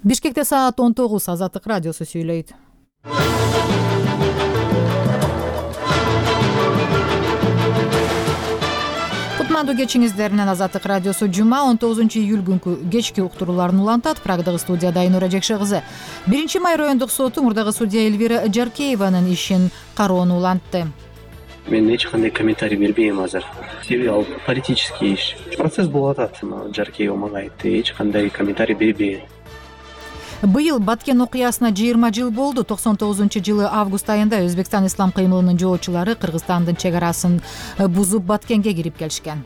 Бишкекте саат 19 Азаттык радиосу сүйлөйт. Кутмандуу кечиңиздеринен Азаттык радиосу жума 19 июль күнкү кечки уктурууларын улантат. Прагдагы студияда Айнура Жекше кызы. 1 май райондук соту мурдагы судья Эльвира Жаркееванын ишин кароону улантты. Мен эч кандай комментарий бербейм азыр. Себеби ал политический иш. Процесс болуп атат. Жаркеева мага айтты, эч кандай комментарий бербейм. Быйыл Баткен окуясына 20 жыл болду. 99-жылы август айында Өзбекстан ислам кыймылынын жоочулары Кыргызстандын чек арасын бузуп Баткенге кирип келишкен.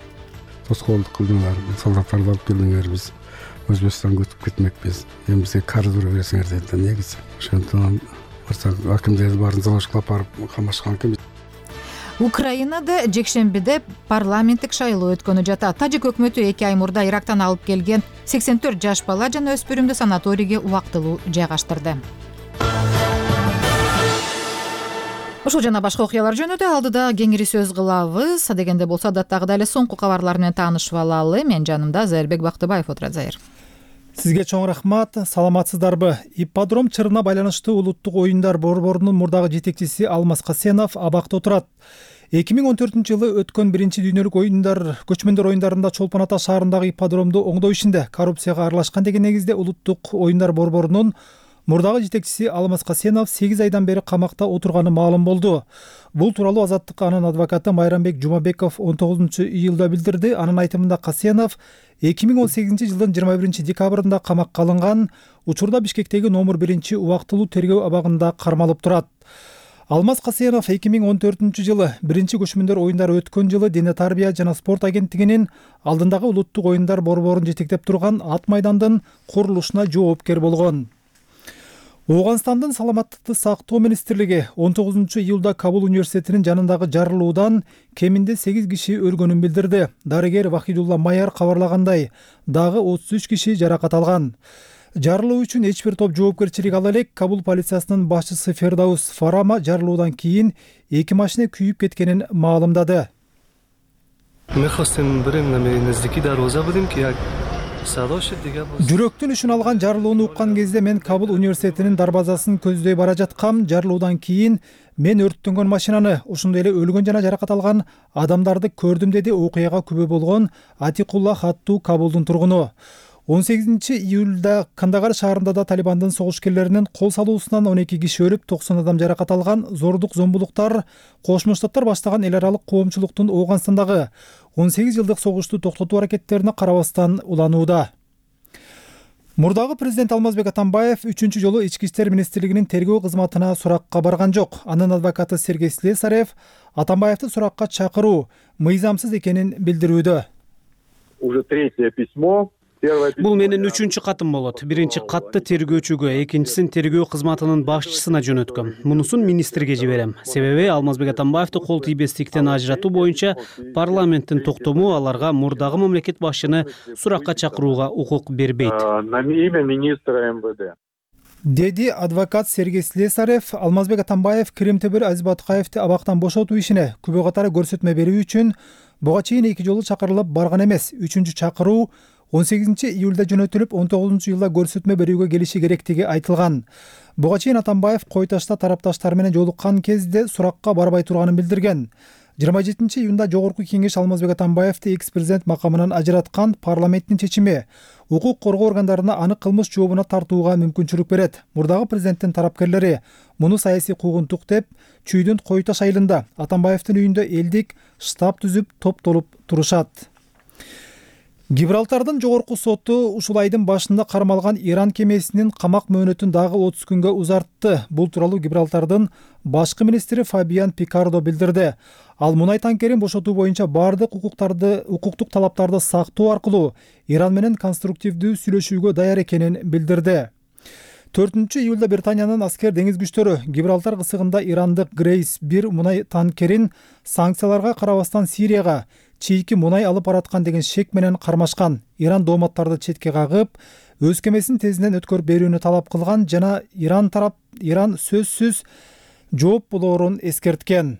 Тоскоолдук кылдыңар, солдаттарды алып келдиңер, биз Өзбекстанга өтүп кетмекпиз. Эми бизге карыз бере берсеңер деди. Негизи ошондон барсак акимдерди баарын залашкылап барып камашкан экен. Украинада жекшембиде парламенттик шайлоо өткөнү жатат. Тажик өкмөтү 2 ай мурда Ирактан алып келген 84 жаш бала жана өспүрүмдү санаторийге убактылуу жайгаштырды. Ушул жана башка окуялар жөнүндө алдыда кеңири сөз кылабыз. Дегенде болсо дагы эле соңку кабарлар менен таанышып алалы. Мен жанымда Зайырбек Бактыбаев отурат. Зайыр. Сизге чоң рахмат. Саламатсыздарбы? Ипподром чырына байланыштуу улуттук оюндар борборунун мурдагы жетекчиси Алмаз Касенов абакта отурат. 2014-жылы өткөн 1-дүйнөлүк оюндар, көчмөндөр оюндарында Чолпон Ата шаарындагы ипподромду оңдоо ишинде коррупцияга аралашкан деген негизде улуттук оюндар борборунун мурдагы жетекчиси Алмаз Касенов 8 айдан бери камакта отурганы маалым болду. Бул тууралуу Азаттыкка анын адвокаты Майрамбек Жумабеков 19-июлда билдирди. Анын айтымында Касенов 2018-жылдын 21 декабрында камакка алынган. Учурда Бишкектеги номер 1 убактылуу тергөө абагында кармалып турат. Алмаз Касенов 2014-жылы 1-көчмөндөр оюндары өткөн жылы Дене тарбия жана спорт агенттигинин алдындагы улуттук оюндар борборун жетектеп турган ат майдандын курулушуна жоопкер болгон. Ооганстандын саламаттыкты сактоо министрлиги 19-июлда Кабул университетинин жанындагы жарылуудан кеминде 8 киши өлгөнүн билдирди. Дарыгер Вахидулла Майар кабарлагандай, дагы 33 киши жаракат алган. Жарылуу үчүн эч бир топ жоопкерчилик ала элек. Кабул полициясынын башчысы Фердаус Фарама жарылуудан кийин 2 машина күйүп кеткенин маалымдады. Жүрөктүн ишин алган жарылууну уккан кезде мен Кабул университетинин дарбазасын көздөй бара жаткам. Жарылуудан кийин мен өрттөнгөн машинаны, ошондой эле өлгөн жана жаракат алган адамдарды көрдүм, деди окуяга күбө болгон Атикулла Хатту, Кабулдун тургуну. 18-июлда Кандагар шаарында да Талибандын согушкерлеринин кол салуусунан 12 киши өлүп, 90 адам жаракат алган. Зордук зомбулуктар Кошмо Штаттар баштаган эл аралык коомчулуктун Ооганстандагы 18 жылдык согушту токтотуу аракеттерине карабастан уланууда. Мурдагы президент Алмазбек Атамбаев 3-чү жолу Ички иштер министрлигинин тергөө кызматына суракка барган жок. Анын адвокаты Сергей Слесарев Атамбаевди суракка чакыруу мыйзамсыз экенин билдирүүдө. Уже третье письмо. Бул менин 3-чү катым болот. Биринчи катты тергөөчүгө, экинчисин тергөө кызматынын башчысына жөнөткөм. Мунусун министрге жиберем. Себеби Алмазбек Атамбаевди кол тийбестиктен ажыратуу боюнча парламенттин токтому аларга мурдагы мамлекет башчыны суракка чакырууга укук бербейт. На имя министра МВД. Деди адвокат Сергей Слесарев. Алмазбек Атамбаев Киримтөбөр Азибаткаевди абактан бошотуу ишине күбө катары көрсөтмө берүү үчүн буга чейин 2 жолу чакырылып барган эмес. 3-чү чакыруу 18-июлда жөнөтүлүп, 19-июлда көрсөтмө берүүгө келиши керектиги айтылган. Буга чейин Атамбаев Койташта тарапташтар менен жолуккан кезде суракка барбай турганын билдирген. 27-июнда Жогорку кеңеш Алмазбек Атамбаевди экс-президент макамынан ажыраткан. Парламенттин чечими укук коргоо органдарына аны кылмыш жообуна тартууга мүмкүнчүлүк берет. Мурдагы президенттин тарапкерлери муну саясий куугунтук деп Чүйдүн Койташ айылында Атамбаевдин үйүндө элдик штаб түзүп топтолуп турушат. Гибралтардын жогорку соту ушул айдын башында кармалган Иран кемесинин камак мөөнөтүн дагы 30 күнгө узартты. Бул тууралуу Гибралтардын башкы министри Фабиан Пикардо билдирди. Ал мунай танкерин бошотуу боюнча бардык укуктук талаптарды сактоо аркылуу Иран менен конструктивдүү сүйлөшүүгө даяр экенин билдирди. 4-июлда Британиянын аскер деңиз күчтөрү Гибралтар кысыгында ирандык Грейс 1 мунай танкерин санкцияларга карабастан Сирияга чийки мунай алып бараткан деген шек менен кармашкан. Иран дооматтарды четке кагып, өз кемесин тезинен өткөрүп берүүнү талап кылган жана Иран сөзсүз жооп болоорун эскерткен.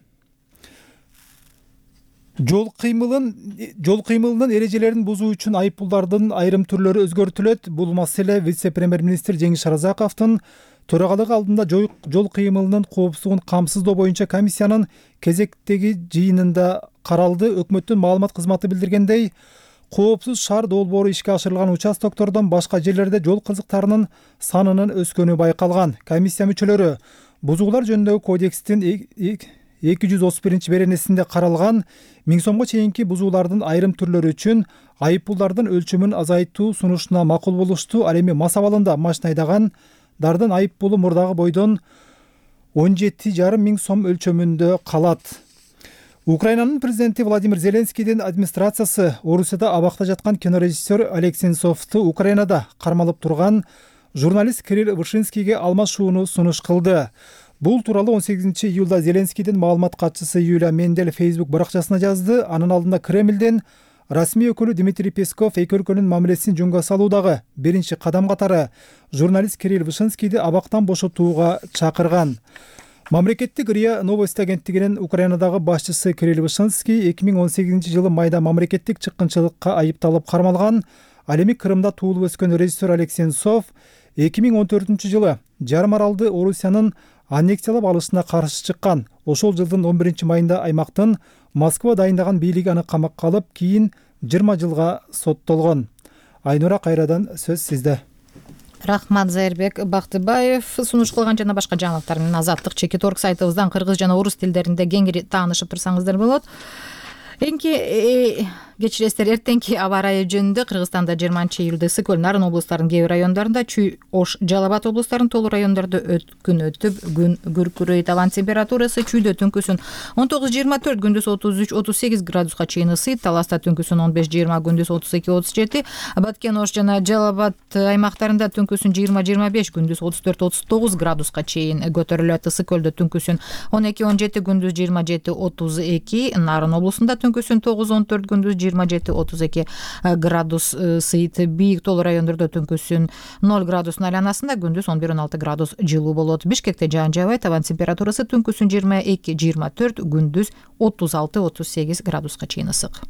Жол кыймылынын эрежелерин бузуу үчүн айыппулдардын айрым түрлөрү өзгөртүлөт. Бул маселе вице-премьер-министр Жеңиш Оразаковдун төрагалыгы алдында жол кыймылынын коопсуздугун камсыздоо боюнча комиссиянын кезектеги жыйынында каралды. Өкмөттүн маалымат кызматы билдиргендей, коопсуз шаар долбоору ишке ашырылган участоктордон башка жерлерде жол кызыктарынын санынын өскөнү байкалган. Комиссия мүчөлөрү бузуулар жөнүндөгү кодекстин 231 беренесинде каралган 1000 сомго чейинки бузуулардын айрым түрлөрү үчүн айыппулдардын өлчөмүн азайтуу сунушуна макул болушту. Ал эми мас абалында машина айдагандардын айыппулу мурдагы бойдон 17,5 миң сом өлчөмүндө калат. Украинанын президенти Владимир Зеленскийдин администрациясы Орусияда абакта жаткан кинорежиссер Олег Сенцовду Украинада кармалып турган журналист Кирилл Вышинскийге алмашууну сунуш кылды. Бул тууралуу 18 июлда Зеленскийдин маалымат катчысы Юлия Мендель Facebook баракчасына жазды. Анын алдында Кремлден расмий өкүлү Дмитрий Песков эки өлкөнүн мамилесин жөнгө салуудагы биринчи кадам катары журналист Кирилл Вышинскийди абактан бошотууга чакырган. Мамлекеттик РИА Новости агенттигинин Украинадагы башчысы Кирилл Вышинский 2018 жылы майда мамлекеттик чыккынчылыкка айыпталып кармалган. Ал эми Крымда туулуп өскөн режиссер Олег Сенцов 2014 жылы жарым аралды Орусиянын аннексиялап алышына каршы чыккан. Ошол жылдын 11 майында аймактын Москва дайындаган бийлиги аны камакка алып, кийин 20 жылга соттолгон. Айнура, кайрадан сөз сизде. Рахмат, Зайырбек Бактыбаев. Сунуш кылган жана башка жаңылыктар менен Азаттык Чекит.орг сайтыбыздан кыргыз жана орус тилдеринде кеңири таанышып турсаңыздар болот. Кечиресиздер, эртеңки аба ырайы жөнүндө Кыргызстанда 20 июлда ысык көл, Нарын облустарынын кээ бир райондарында, Чүй, Ош, Жалал Абад облустарынын толук райондордо күн өтүп, күн күркүрөйт. Абанын температурасы Чүйдө түнкүсүн 19-24, күндүз 33-38 градуска чейин ысыйт. Таласта түнкүсүн 15-20, күндүз 32-37. Баткен, Ош жана Жалал Абад аймактарында түнкүсүн 20-25, күндүз 34-39 градуска чейин көтөрүлөт. Ысык көлдө түнкүсүн 12-17, күндүз 27-32. Нарын облусунда түнкүсүн 9-14, күндүз 27-32 градус ысыйт. Бийик толуу райондордо түнкүсүн 0 градустун айланасында, күндүз 11-16 градус жылуу болот. Бишкекте жаан жаабайт. Абанын температурасы түнкүсүн 22-24, күндүз 36-38 градуска чейин ысык.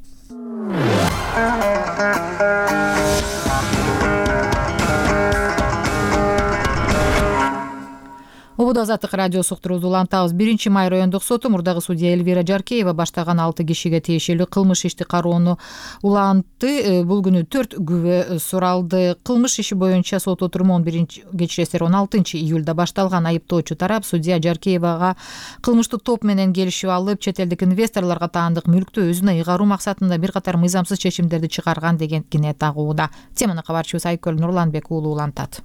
Убуда Азаттык радиосу уктурууну улантабыз. 1 май райондук соту мурдагы судья Эльвира Жаркеева баштаган 6 кишиге тиешелүү кылмыш ишти кароону улантты. Бул күнү 4 күбө суралды. Кылмыш иши боюнча сот отуруму 16 июлда башталган. Айыптоочу тарап судья Жаркеевага кылмыштык топ менен келишип алып, чет элдик инвесторлорго таандык мүлктү өзүнө ыйгаруу максатында бир катар мыйзамсыз чечимдерди чыгарган деген кине тагууда. Теманы кабарчыбыз Айкөл Нурланбек уулу улантат.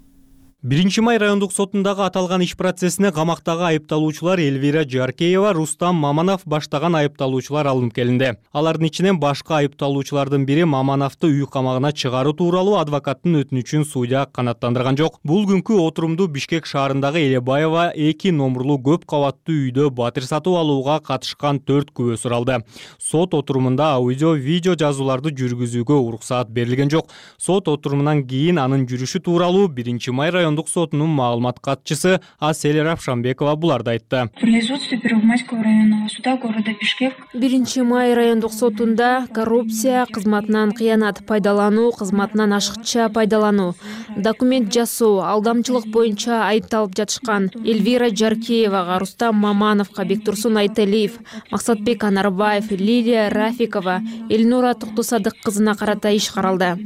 1 май райондук сотундагы аталган иш процессине камактагы айыпталуучулар Эльвира Жаркеева, Рустам Маманов баштаган айыпталуучулар алынып келинди. Алардын ичинен башка айыпталуучулардын бири Мамановду үй камагына чыгаруу тууралуу адвокаттын өтүнүчүн судья канааттандырган жок. Бул күнкү отурумду Бишкек шаарындагы Элебаева 2 номурлуу көп кабаттуу үйдө батир сатып алууга катышкан 4 күбө суралды. Сот отурумунда аудио-видео жазууларды жүргүзүүгө уруксаат берилген жок. Сот отурумунан кийин анын жүрүшү тууралуу 1 май райондук сотунун маалымат катчысы Асель Равшанбекова буларды айтты. В производстве Первомайского районного суда города Бишкек 1 май райондук сотунда коррупция, кызматынан кыянат пайдалануу, кызматынан ашыкча пайдалануу, документ жасоо, алдамчылык боюнча айыпталып жатышкан Эльвира Жаркеевага, Рустам Мамановго, Бектурсун Айталиев, Максатбек Анарбаев, Лилия Рафикова, Эльнура Токтосадык кызына карата иш каралды.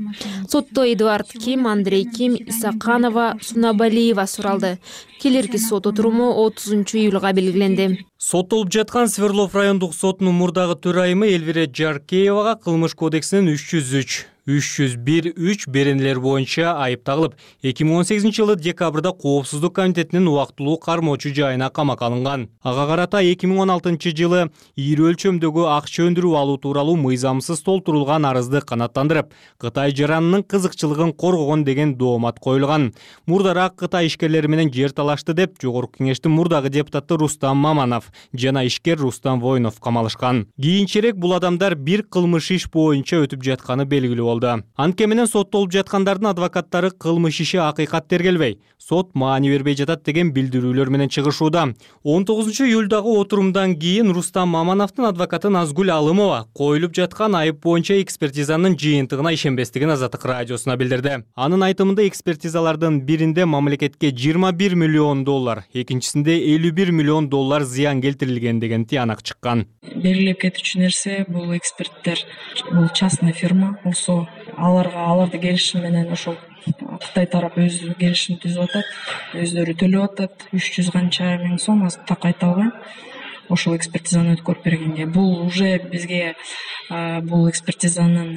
Сотто Эдуард Ким, Андрей Ким, Исаканова, Сунабалиева суралды. Келерки сот отуруму 30 июлга белгиленди. Соттолуп жаткан Свердлов райондук сотунун мурдагы төрайымы Эльвира Жаркеевага кылмыш кодексинин 301-3 беренелер боюнча айып тагылып, 2018 жылы декабрда Коопсуздук комитетинин убактылуу кармоочу жайына камакка алынган. Ага карата 2016 жылы ийри өлчөмдөгү акча өндүрүп алуу тууралуу мыйзамсыз толтурулган арызды канааттандырып, Кытай жаранынын кызыкчылыгын коргогон деген доомат коюлган. Мурдараак Кытай ишкерлери менен жер талашты деп Жогорку кеңештин мурдагы депутаты Рустам Маманов жана ишкер Рустам Воинов камалышкан. Кийинчерээк бул адамдар бир кылмыш иш боюнча өтүп жатканы белгилүү болду. алды. Анткени менен соттолуп жаткандардын адвокаттары кылмыш иши акыйкат тергелбей, сот маани бербей жатат деген билдирүүлөр менен чыгышууда. 19-июлдагы отурумдан кийин Рустам Мамановдун адвокаты Назгүл Алымова коюлуп жаткан айып боюнча экспертизанын жыйынтыгына ишенбестигин Азаттык радиосуна билдирди. Анын айтымында экспертизалардын биринде мамлекетке $21 миллион, экинчисинде $51 миллион зыян келтирилген деген тыянак чыккан. Белгилеп кетүүчү нерсе бул эксперттер бул частный фирма, болсо аларды келишим менен ошол Кытай тарап өзү келишим түзүп атат, өздөрү төлөп атат, 300 канча миң сом так айта албайм. Ошол экспертизаны өткөрүп бергенге бул уже бизге бул экспертизанын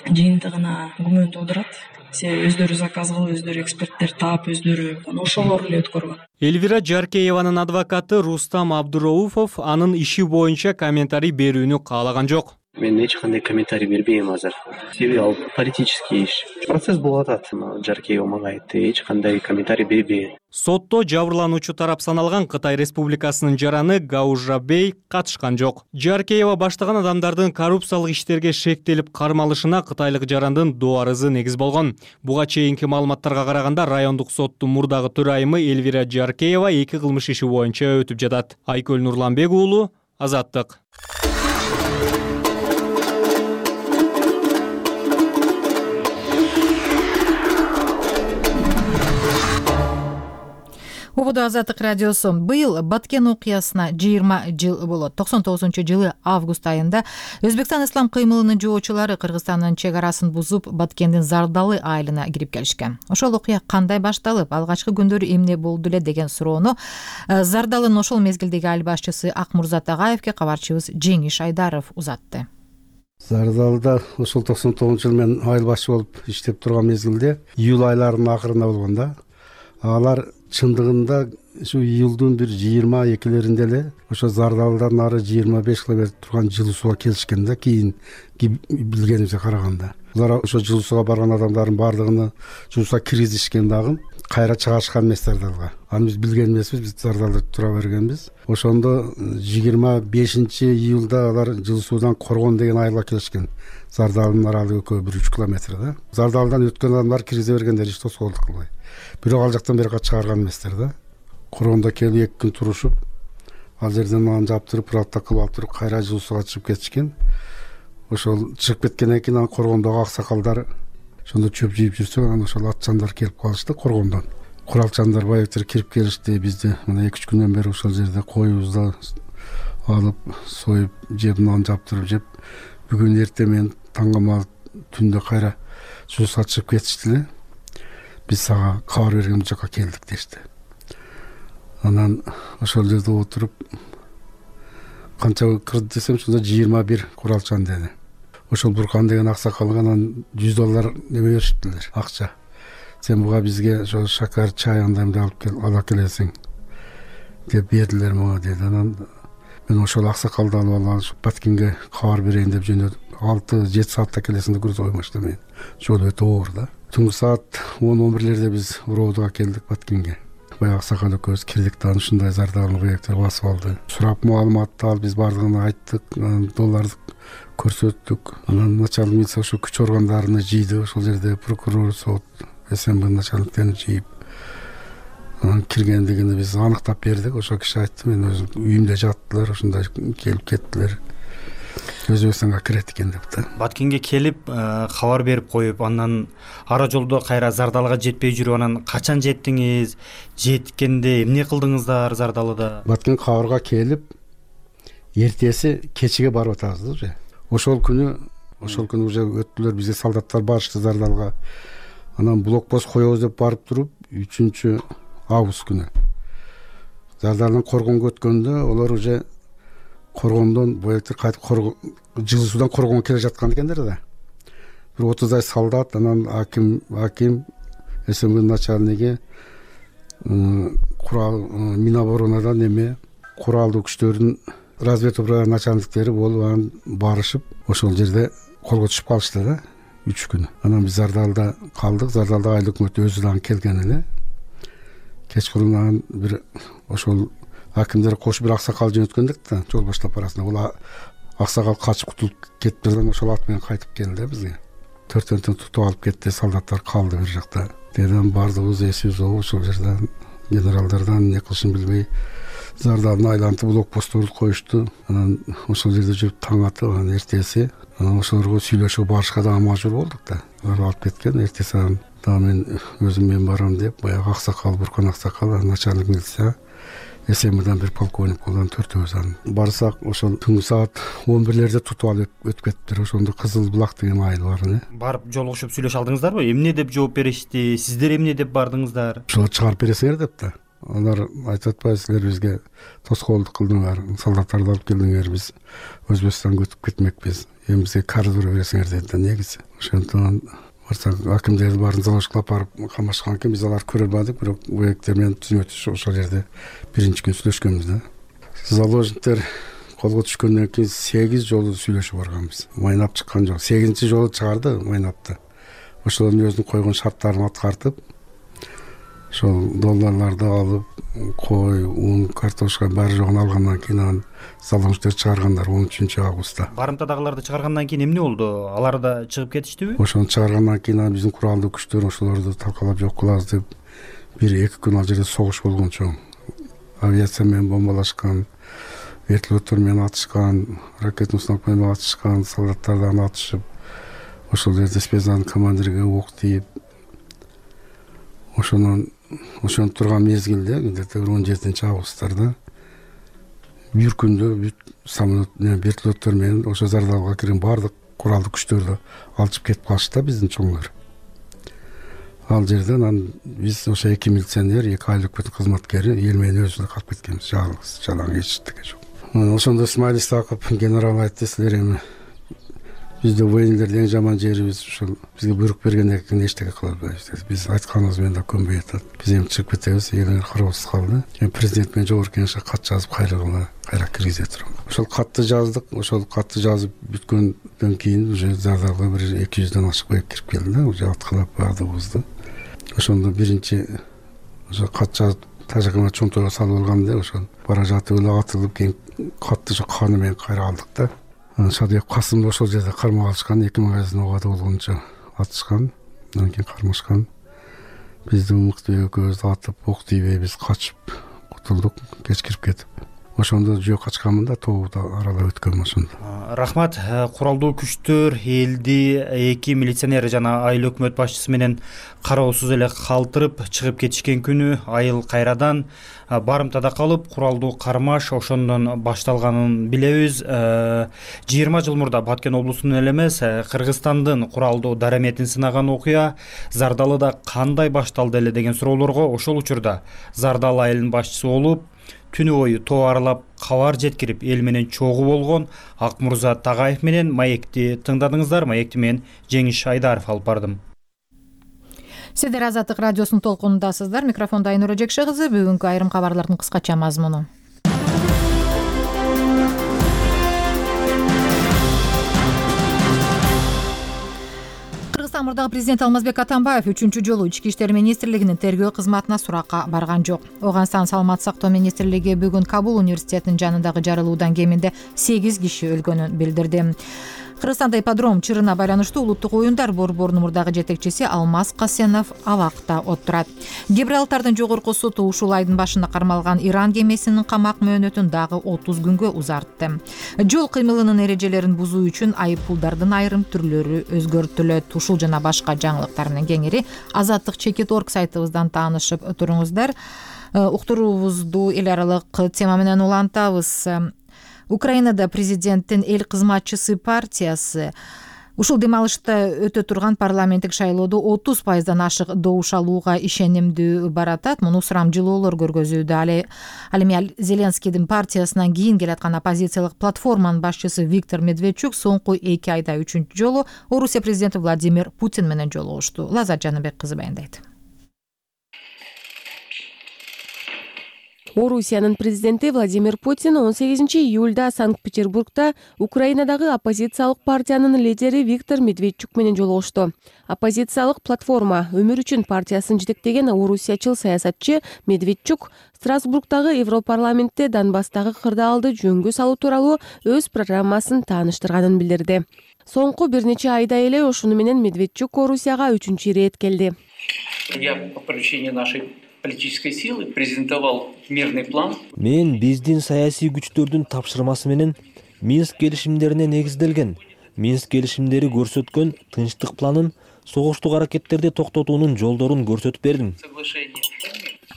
жыйынтыгына күмөн туудурат. Себеби өздөрү заказ кылып, өздөрү эксперттер таап, өздөрү ошолор эле өткөргөн. Элвира Жаркееванын адвокаты Рустам Абдурауфов анын иши боюнча комментарий берүүнү каалаган жок. Мен эч кандай комментарий бербейм азыр. Себеби ал политический иш. Процесс болуп атат. Жаркеева мага айтты, эч кандай комментарий бербейм. Сотто жабырлануучу тарап саналган Кытай Республикасынын жараны Гау Жабей катышкан жок. Жаркеева баштаган адамдардын коррупциялык иштерге шектелип кармалышына кытайлык жарандын дуарызы негиз болгон. Буга чейинки маалыматтарга караганда райондук соттун мурдагы төрайымы Элвира Жаркеева 2 кылмыш иши боюнча өтүп жатат. Айкөл Нурланбек уулу, Азаттык. Убуду Азаттык радиосу. Быйыл Баткен окуясына 20 жыл болот. 99-жылы август айында Өзбекстан ислам кыймылынын жоочулары Кыргызстандын чек арасын бузуп, Баткендин Зардалы айылына кирип келишкен. Ошол окуя кандай башталып, алгачкы күндөрү эмне болду эле деген суроону Зардалынын ошол мезгилдеги айыл башчысы Акмурзат Агаевке кабарчыбыз Жеңиш Айдаров узатты. Зардалда ошол 99-жыл мен айыл башчы болуп иштеп турган мезгилде июль айларынын акырында болгон да. Алар чындыгында ушу июлдун бир 22-леринде эле ошо Зардалдан ары 25 километр турган жылуу сууга келишкен да, кийин билгенимизге караганда. Булар ошо жылуу сууга барган адамдардын баардыгын жылуу сууга киргизишкен дагы, кайра чыгарышкан эмес Зардалга. Аны биз билген эмеспиз, биз Зардалда тура бергенбиз. Ошондо 25-июлда алар жылуу суудан Коргон деген айылга келишкен. Зардалдын аралыгы экөө 1-3 километр да. Зардалдан өткөн адамдар киргизе бергендер, эч тосолдук кылбай. Бирок ал жактан бери чыгарган эместер да. Коргондо келип 2 күн турушуп, ал жерден аны жаптырып, пралта кылып алып туруп, кайра жылуу сууга чыгып кетишкен. Ошол чыгып кеткенден кийин аны Коргондогу аксакалдар ошондо чөп жыйып жүрсө, анан ошол атчандар келип калышты Коргондон. Куралчандар байыктыр кирип келишти, бизди мына 2-3 күндөн бери ошол жерде коюбузду алып, союп, жеп, нан жаптырып жеп, бүгүн эртең менен таңгамал түндө кайра жылуу сууга чыгып кетишти эле. Биз сага кабар берген бул жака келдик дешти. Анан ошол жерде отуруп канча кырды десем, ошондо 21 куралчан деди. Ошол Буркан деген аксакалга анан $100 неме беришиптилер, акча. Сен буга бизге ошо шакар, чай андаймды ала келесиң деп бердилер мага деди. Анан мен ошол аксакалды алып Баткенге кабар берейин деп жөнөдүм. 6-7 саатта келесиң деп коймошто мен. Жол өтө оор да. Түнкү саат 10-11-лерде биз Уроодуга келдик Баткенге. Баягы аксакал экөөбүз кирдик да, ушундай Зардалын бөйөктөр басып алды. Сурап маалыматты алып, биз бардыгын айттык, долларды көрсөттүк. Анан начальник милиция ошо күч органдарыны жыйды, ошол жерде прокурор, сот, СМБ начальниктерин жыйып. Анан киргендигин биз аныктап бердик. Ошол киши айтты, мен өзүм үйүмдө жаттылар, ошондой келип кеттилер. Өзбекстанга кирет экен деп да. Баткенге келип кабар берип коюп, андан ара жолдо кайра Зардалга жетпей жүрүп, анан качан жеттиңиз? Жеткенде эмне кылдыңыздар Зардалыда? Баткен кабарга келип, эртеси кечиге барып атабыз уже. Ошол күнү уже өттүлөр, бизге солдаттар барышты Зардалга. Анан блокпост коебуз деп барып туруп, 3 август күнү Зардалдан Коргонго өткөндө олар уже Коргондон боектер кайтып жылуу суудан Коргонго келе жаткан экендер да. Бир 30 солдат, анан аким, СМБ начальниги, курал Миноборонадан эме, куралдуу күчтөрдүн разведуправа начальниктери болуп анан барышып, ошол жерде колго түшүп калышты да 3 күн. Анан биз Зардалда калдык. Зардалда айыл өкмөтү өзү дагы келген эле. Кечкурун бир ошол акимдер кош бир аксакал жөнөткөндүк да, жол баштап барасында. Бул аксакал качып кутулуп кетпеден ошол ат менен кайтып келди бизге. 4-төн тутуп алып кетти, солдаттар калды бир жакта. Деден бардыгыбыз эсибиз болуп ошол жерден генералдардан эмне кылышын билбей зардалын айлантып блокпостторду коюшту. Анан ошол жерде жүрүп таң атып, анан эртеси анан ошолорго сүйлөшүп барышка да мажбур болдук да. Алар алып кеткен. Эртеси анан дагы мен өзүм мен барам деп, баягы аксакал, Буркан аксакал, начальник милиция СМдан бир полковник болгон төртөөбүз анан барсак, ошол түнкү саат 11-лерде тутуп алып өтүп кетиптир. Ошондо Кызыл Булак деген айыл бар. Барып жолугушуп сүйлөшө алдыңыздарбы? Эмне деп жооп беришти? Сиздер эмне деп бардыңыздар? Ошол чыгарып бересиңер деп да. Алар айтып атпайбы, силер бизге тоскоолдук кылдыңар, солдаттарды алып келдиңер, биз Өзбекстанга өтүп кетмекпиз. Эми бизге кардура бересиңер деди да негизи. Ошондон барсак, акимдерди баарын залошкалап барып камашкан экен, биз аларды көрө албадык, бирок уектер менен түзмөтүш ошол жерде биринчи күн сүйлөшкөнбүз да. Заложниктер колго түшкөндөн кийин 8 жолу сүйлөшүп барганбыз. Майнап чыккан жок. 8-чи жолу чыгарды майнапты. Ошолордун өзүнүн койгон шарттарын аткартып, ошол долларларды алып, кой, ун, картошка баары жогун алгандан кийин анан заложниктер чыгаргандар 13 августта. Барымтадагыларды чыгаргандан кийин эмне болду? Алар да чыгып кетиштиби? Ошону чыгаргандан кийин биздин куралдуу күчтөр ошолорду талкалап жок кылабыз деп 1-2 күн ал жерде согуш болгон чоң. Авиация менен бомбалашкан, вертолеттор менен атышкан, ракетный установка менен атышкан, солдаттардан атышып, ошол жерде спецназын командирге ок тийип, ошону турган мезгилде, где-то 17 августтарда бир күндө самолет вертолеттор менен ошо зардалга кирген баардык куралдуу күчтөрдү алчып кетип калышты да биздин чоңдор. Ал жерден анан биз ошо 2 милиционер, 2 айыл өкмөтүнүн кызматкери эл менен өзүбүз калып кеткенбиз, жалгыз, жалаң, эчтеке жок. Ошондо Исмаил Исаков генерал айтты, силер эми бизде военлердин эң жаман жерибиз ушул, бизге буйрук бергенден кийин эчтеке кыла албайбыз. Биз айтканыбыз менен да көнбөй атат. Биз эми чыгып кетебиз, элиңер кароосуз калды. Эми президент менен жогорку кеңешке кат жазып кайра киргизе турам. Ошол катты жаздык. Ошол катты жазып бүткөндөн кийин уже зардалга бир 200дөн ашык боек кирип келди да, уже аткылап баардыгыбызды. Ошондо биринчи ошо кат жазып тажагына чонтойго салып алганда, ошол бара жатып эле атылып, кийин катты каны менен кайра алдык да. Шадыек Касымды ошол жерде кармап алышкан, 2 магазин убада болгончо атышкан, андан кийин кармашкан. Бизди мыкты экөөбүздү атып, ок тийбей биз качып кутулдук, кеч кирип кетип. Ошондо жөө качканмын да, тообду аралап өткөм ошондо. Рахмат. Куралдуу күчтөр элди 2 милиционер жана айыл өкмөт башчысы менен кароосуз эле калтырып чыгып кетишкен күнү айыл кайрадан барымтада калып, куралдуу кармаш ошондон башталганын билебиз. 20 жыл мурда Баткен облусунун эле эмес, Кыргызстандын куралдуу дараметин сынаган окуя Зардалыда кандай башталды эле деген суроолорго ошол учурда Зардалы айылынын башчысы болуп, түнү бою тоо аралап кабар жеткирип эл менен чогуу болгон Акмурза Тагаев менен маекти тыңдадыңыздар. Маекти мен Жеңиш Айдаров алып бардым. Сиздер Азаттык радиосунун толкунундасыздар. Микрофондо Айнура Жекше кызы. Бүгүнкү айрым кабарлардын кыскача мазмуну. Кыргызстан мурдагы президент Алмазбек Атамбаев 3-чү жолу Ички иштер министрлигинин тергөө кызматына суракка барган жок. Оганстан саламаттык сактоо министрлиги бүгүн Кабул университетинин жанындагы жарылуудан кеминде 8 киши өлгөнүн билдирди. Кыргызстанда ипподром чырына байланыштуу улуттук оюндар борборунун мурдагы жетекчиси Алмаз Касенов абакта отурат. Гибралтардын жогорку соту ушул айдын башында кармалган Иран кемесинин камак мөөнөтүн дагы 30 күнгө узартты. Жол кыймылынын эрежелерин бузуу үчүн айыппулдардын айрым түрлөрү өзгөртүлөт. Ушул жана башка жаңылыктар менен кеңири Азаттык.org сайтыбыздан таанышып туруңуздар. Уктуруубузду эл аралык тема менен улантабыз. Украинада президенттин эл кызматчысы партиясы ушул демалышта өтө турган парламенттик шайлоодо 30% ашык добуш алууга ишенимдүү баратат. Муну сурамжылоолор көргөзүүдө. Ал эми Зеленскийдин партиясынан кийин келаткан оппозициялык платформанын башчысы Виктор Медведчук соңку 2 айда 3-чү жолу Орусия президенти Владимир Путин менен жолугушту. Лазат Жаныбек кызы баяндайт. Орусиянын президенти Владимир Путин 18-июлда Санкт-Петербургда Украинадагы оппозициялык партиянын лидери Виктор Медведчук менен жолугушту. Оппозициялык платформа Өмүр үчүн партиясын жетектеген орусиячыл саясатчы Медведчук Страсбургдагы Европарламентте Донбасстагы кырдаалды жөнгө салуу тууралуу өз программасын тааныштырганын билдирди. Соңку бир нече айда эле ошону менен Медведчук Орусияга 3-рет келди. Я по поручению нашей политической силы презентовал мирный план. Мен биздин саясий күчтөрдүн тапшырмасы менен Минск келишимдерине негизделген Минск келишимдери көрсөткөн тынчтык планын согуштук аракеттерди токтотуунун жолдорун көрсөтүп бердим.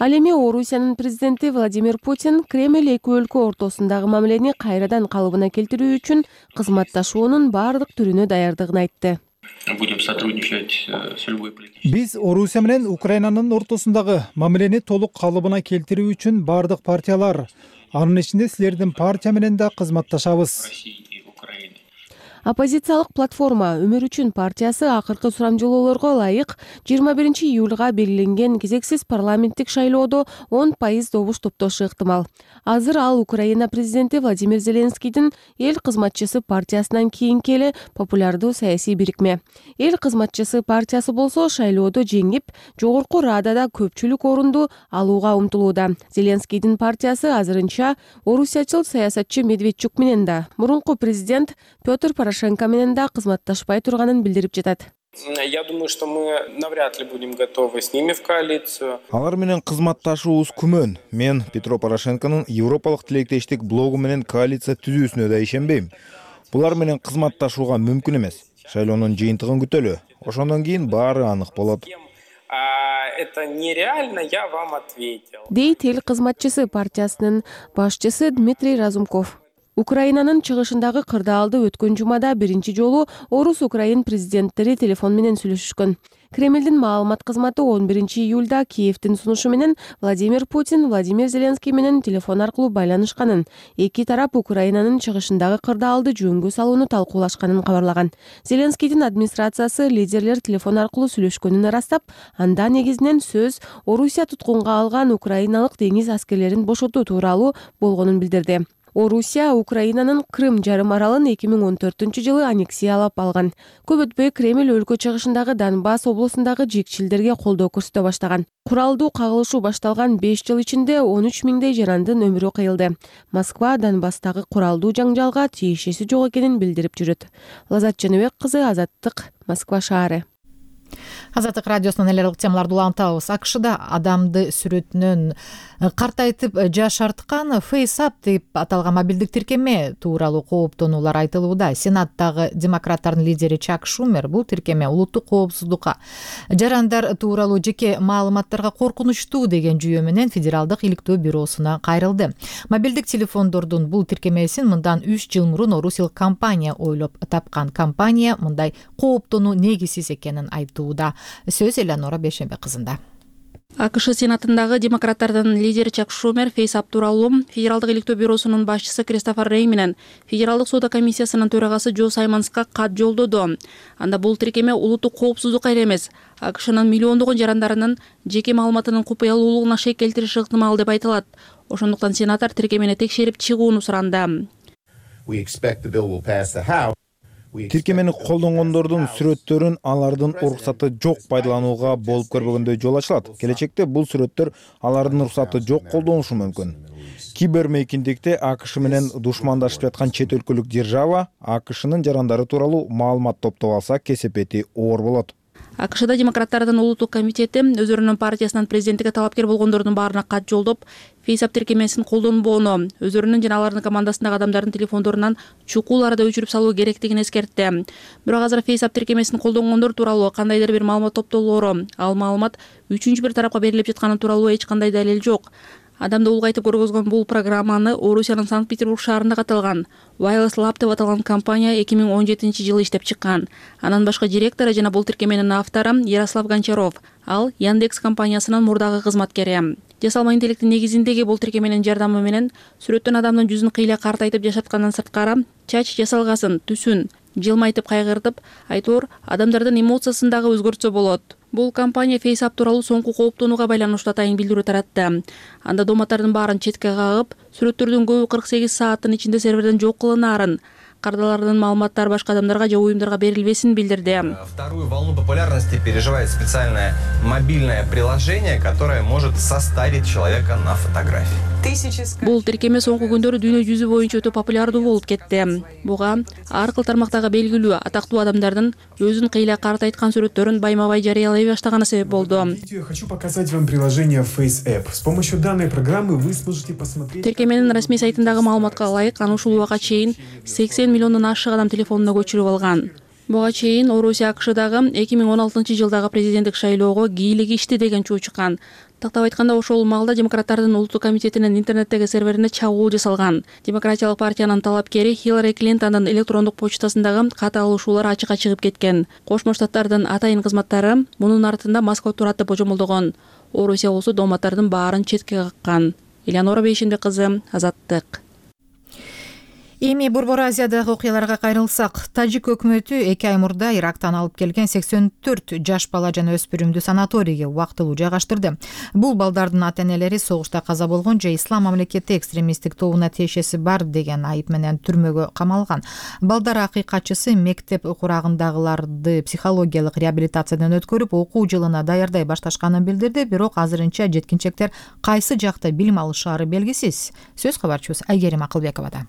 Ал эми Орусиянын президенти Владимир Путин Кремль эки өлкө ортосундагы мамилени кайрадан калыбына келтирүү үчүн кызматташуунун баардык түрүнө даярдыгын айтты. Будем сотрудничать с любой политической. Биз Орусия менен Украинанын ортосундагы мамилени толук калыбына келтирүү үчүн баардык партиялар, анын ичинде силердин партия менен да кызматташабыз. Оппозициялык платформа Өмүр үчүн партиясы акыркы сурамжылоолорго ылайык 21-июлга белгиленген кезексиз парламенттик шайлоодо 10% добуш топтошу ыктымал. Азыр ал Украина президенти Владимир Зеленскийдин Эл кызматчысы партиясынан кийинки эле популярдуу саясий бирикме. Эл кызматчысы партиясы болсо шайлоодо жеңип, жогорку радада көпчүлүк орунду алууга умтулууда. Зеленскийдин партиясы азырынча орусиячыл саясатчы Медведчук менен да, мурунку президент Петр Порошенко менен да кызматташпай турганын билдирип жатат. Я думаю, что мы навряд ли будем готовы с ними в коалицию. Алар менен кызматташуубуз күмөн. Мен Петро Порошенконун Европалык тилектештик блогу менен коалиция түзүүсүнө да ишенбейм. Булар менен кызматташууга мүмкүн эмес. Шайлоонун жыйынтыгын күтөлү. Ошондон кийин баары анык болот. Это нереально, я вам ответил. Дейт Эл кызматчысы партиясынын башчысы Дмитрий Разумков. Украинанын чыгышындагы кырдаалды өткөн жумада биринчи жолу Орус-Украин президенттери телефон менен сүйлөшүшкөн. Кремлдин маалымат кызматы 11-июлда Киевдин сунушу менен Владимир Путин Владимир Зеленский менен телефон аркылуу байланышканын, эки тарап Украинанын чыгышындагы кырдаалды жөнгө салууну талкуулашканын кабарлаган. Зеленскийдин администрациясы лидерлер телефон аркылуу сүйлөшкөнүн ырастап, анда негизинен сөз Орусия туткунга алган украиналык деңиз аскерлерин бошотуу тууралуу болгонун билдирди. Орусия Украинанын Крым жарым аралын 2014-жылы аннексиялап алган. Көп өтпөй Кремль өлкө чыгышындагы Донбасс облусундагы жекчилдерге колдоо көрсөтө баштаган. Куралдуу кагылышуу башталган 5 жыл ичинде 13 миңдей жарандын өмүрү кыйылды. Москва Донбасстагы куралдуу жаңжалга тиешеси жок экенин билдирип жүрөт. Лазат Жаныбек кызы, Азаттык, Москва шаары. Азаттык радиосунан эле темаларды улантабыз. АКШда адамды сүрөтүнөн картайтып жашарткан FaceApp деп аталган мобилдик тиркеме тууралуу кооптонуулар айтылууда. Сенаттагы демократтардын лидери Чак Шумер бул тиркеме улуттук коопсуздукка, жарандар тууралуу жеке маалыматтарга коркунучтуу деген жүйө менен Федералдык иликтөө бюросуна кайрылды. Мобилдик телефондордун бул тиркемесин мындан 3 жыл мурун Орусил компания ойлоп тапкан. Компания мындай кооптонуу негизсиз экенин айтууда. Сөз Элеонора Бейшембек кызында. АКШ Сенатындагы демократтардын лидери Чак Шумер FaceApp тууралуу Федералдык иликтөө бюросунун башчысы Кристофер Рей менен Федералдык соода комиссиясынын төрагасы Джо Саймонска кат жолдоду. Анда бул тиркеме улуттук коопсуздукка эле эмес, АКШнын миллиондогон жарандарынын жеке маалыматынын купуялуулугуна шек келтириши ыктымал деп айтылат. Ошондуктан сенатор тиркемени текшерип чыгууну суранды. Тиркемени колдонгондордун сүрөттөрүн алардын уруксаты жок пайдаланууга болуп көрбөгөндөй жол ачылат. Келечекте бул сүрөттөр алардын уруксаты жок колдонушу мүмкүн. Кибермейкиндикте АКШ менен душмандашып жаткан чет өлкөлүк держава АКШнын жарандары тууралуу маалымат топтоп алса кесепети оор болот. АКШда демократтардын улуттук комитети өздөрүнүн партиясынан президенттикке талапкер болгондордун баарына кат жолдоп, FaceApp тиркемесин колдонбоону, өздөрүнүн жана алардын командасындагы адамдардын телефондорунан чукул арада өчүрүп салуу керектигин эскертти. Бирок азыр FaceApp тиркемесин колдонгондор тууралуу кандайдыр бир маалымат топтолоору, ал маалымат үчүнчү бир тарапка берилип жатканы тууралуу эч кандай далил жок. Адамды улгайтып көргөзгөн бул программаны Орусиянын Санкт-Петербург шаарында каталган Wireless Lab деп аталган компания 2017-жылы иштеп чыккан. Анан башка директору жана бул тиркеменин автору Ярослав Гончаров. Ал Яндекс компаниясынын мурдагы кызматкери. Жасалма интеллекттин негизиндеги бул тиркеменин жардамы менен сүрөттөн адамдын жүзүн кыйла картайтып жашаткандан сырткары чач жасалгасын, түсүн жылмайтып кайгыртып, айтор адамдардын эмоциясын дагы өзгөртсө болот. Бул компания FaceApp тууралуу соңку кооптонууга байланыштуу атайын билдирүү таратты. Анда дооматтардын баарын четке кагып, сүрөттөрдүн көбү 48 сааттын ичинде серверден жок кылынаарын, кардалардын маалыматтары башка адамдарга же уюмдарга берилбесин билдирди. Вторую волну популярности переживает специальное мобильное приложение, которое может состарить человека на фотографии. Бул тиркеме соңку күндөрү дүйнө жүзү боюнча өтө популярдуу болуп кетти. Буга ар кыл тармактагы белгилүү атактуу адамдардын өзүн кыйла карта айткан сүрөттөрүн байма-бай жарыялай баштаганы себеп болду. Хочу показать вам приложение FaceApp. С помощью данной программы вы сможете посмотреть. Тиркеменин расмий сайтындагы маалыматка ылайык, аны ушул убакка чейин 80 миллиондон ашык адам телефонуна көчүрүп алган. Буга чейин Орусия АКШдагы 2016-жылдагы президенттик шайлоого кийлигишти деген чуу чыккан. Тактап айтканда, ошол маалда демократтардын улуттук комитетинин интернеттеги серверине чабуул жасалган. Демократиялык партиянын талапкери Хиллари Клинтондун электрондук почтасындагы кат алышуулар ачыкка чыгып кеткен. Кошмо Штаттардын атайын кызматтары мунун артында Москва турат деп божомолдогон. Орусия болсо дооматтардын баарын четке каккан. Элеонора Бейшенбек кызы, Азаттык. Эми Борбор Азиядагы окуяларга кайрылсак, тажик өкмөтү 2 ай мурда Ирактан алып келген 84 жаш бала жана өспүрүмдү санаторийге убактылуу жайгаштырды. Бул балдардын ата-энелери согушта каза болгон же ислам мамлекети экстремисттик тобуна тиешеси бар деген айып менен түрмөгө камалган. Балдар акыйкатчысы мектеп курагындагыларды психологиялык реабилитациядан өткөрүп, окуу жылына даярдай башташканын билдирди, бирок азырынча жеткинчектер кайсы жакта билим алышаары белгисиз. Сөз кабарчыбыз Айгерим Акылбековада.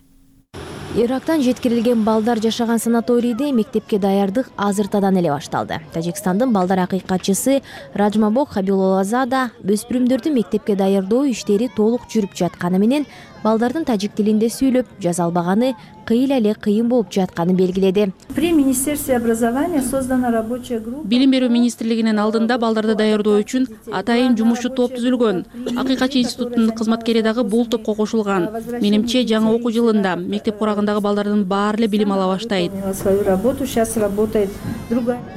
Ирактан жеткирилген балдар жашаган санаторийде мектепке даярдык азыртадан эле башталды. Тажикстандын балдар акыйкатчысы Раджмабок Хабилолазада өспүрүмдөрдү мектепке даярдоо иштери толук жүрүп жатканы менен балдардын тажик тилинде сүйлөп жаза албаганы кыйла эле кыйын болуп жатканын белгиледи. При Министерстве образования создана рабочая группа. Билим берүү министрлигинин алдында балдарды даярдоо үчүн атайын жумушчу топ түзүлгөн. Акыйкатчы институтунун кызматкери дагы бул топко кошулган. Менимче жаңы окуу жылында мектеп курагындагы балдардын баары эле билим ала баштайт.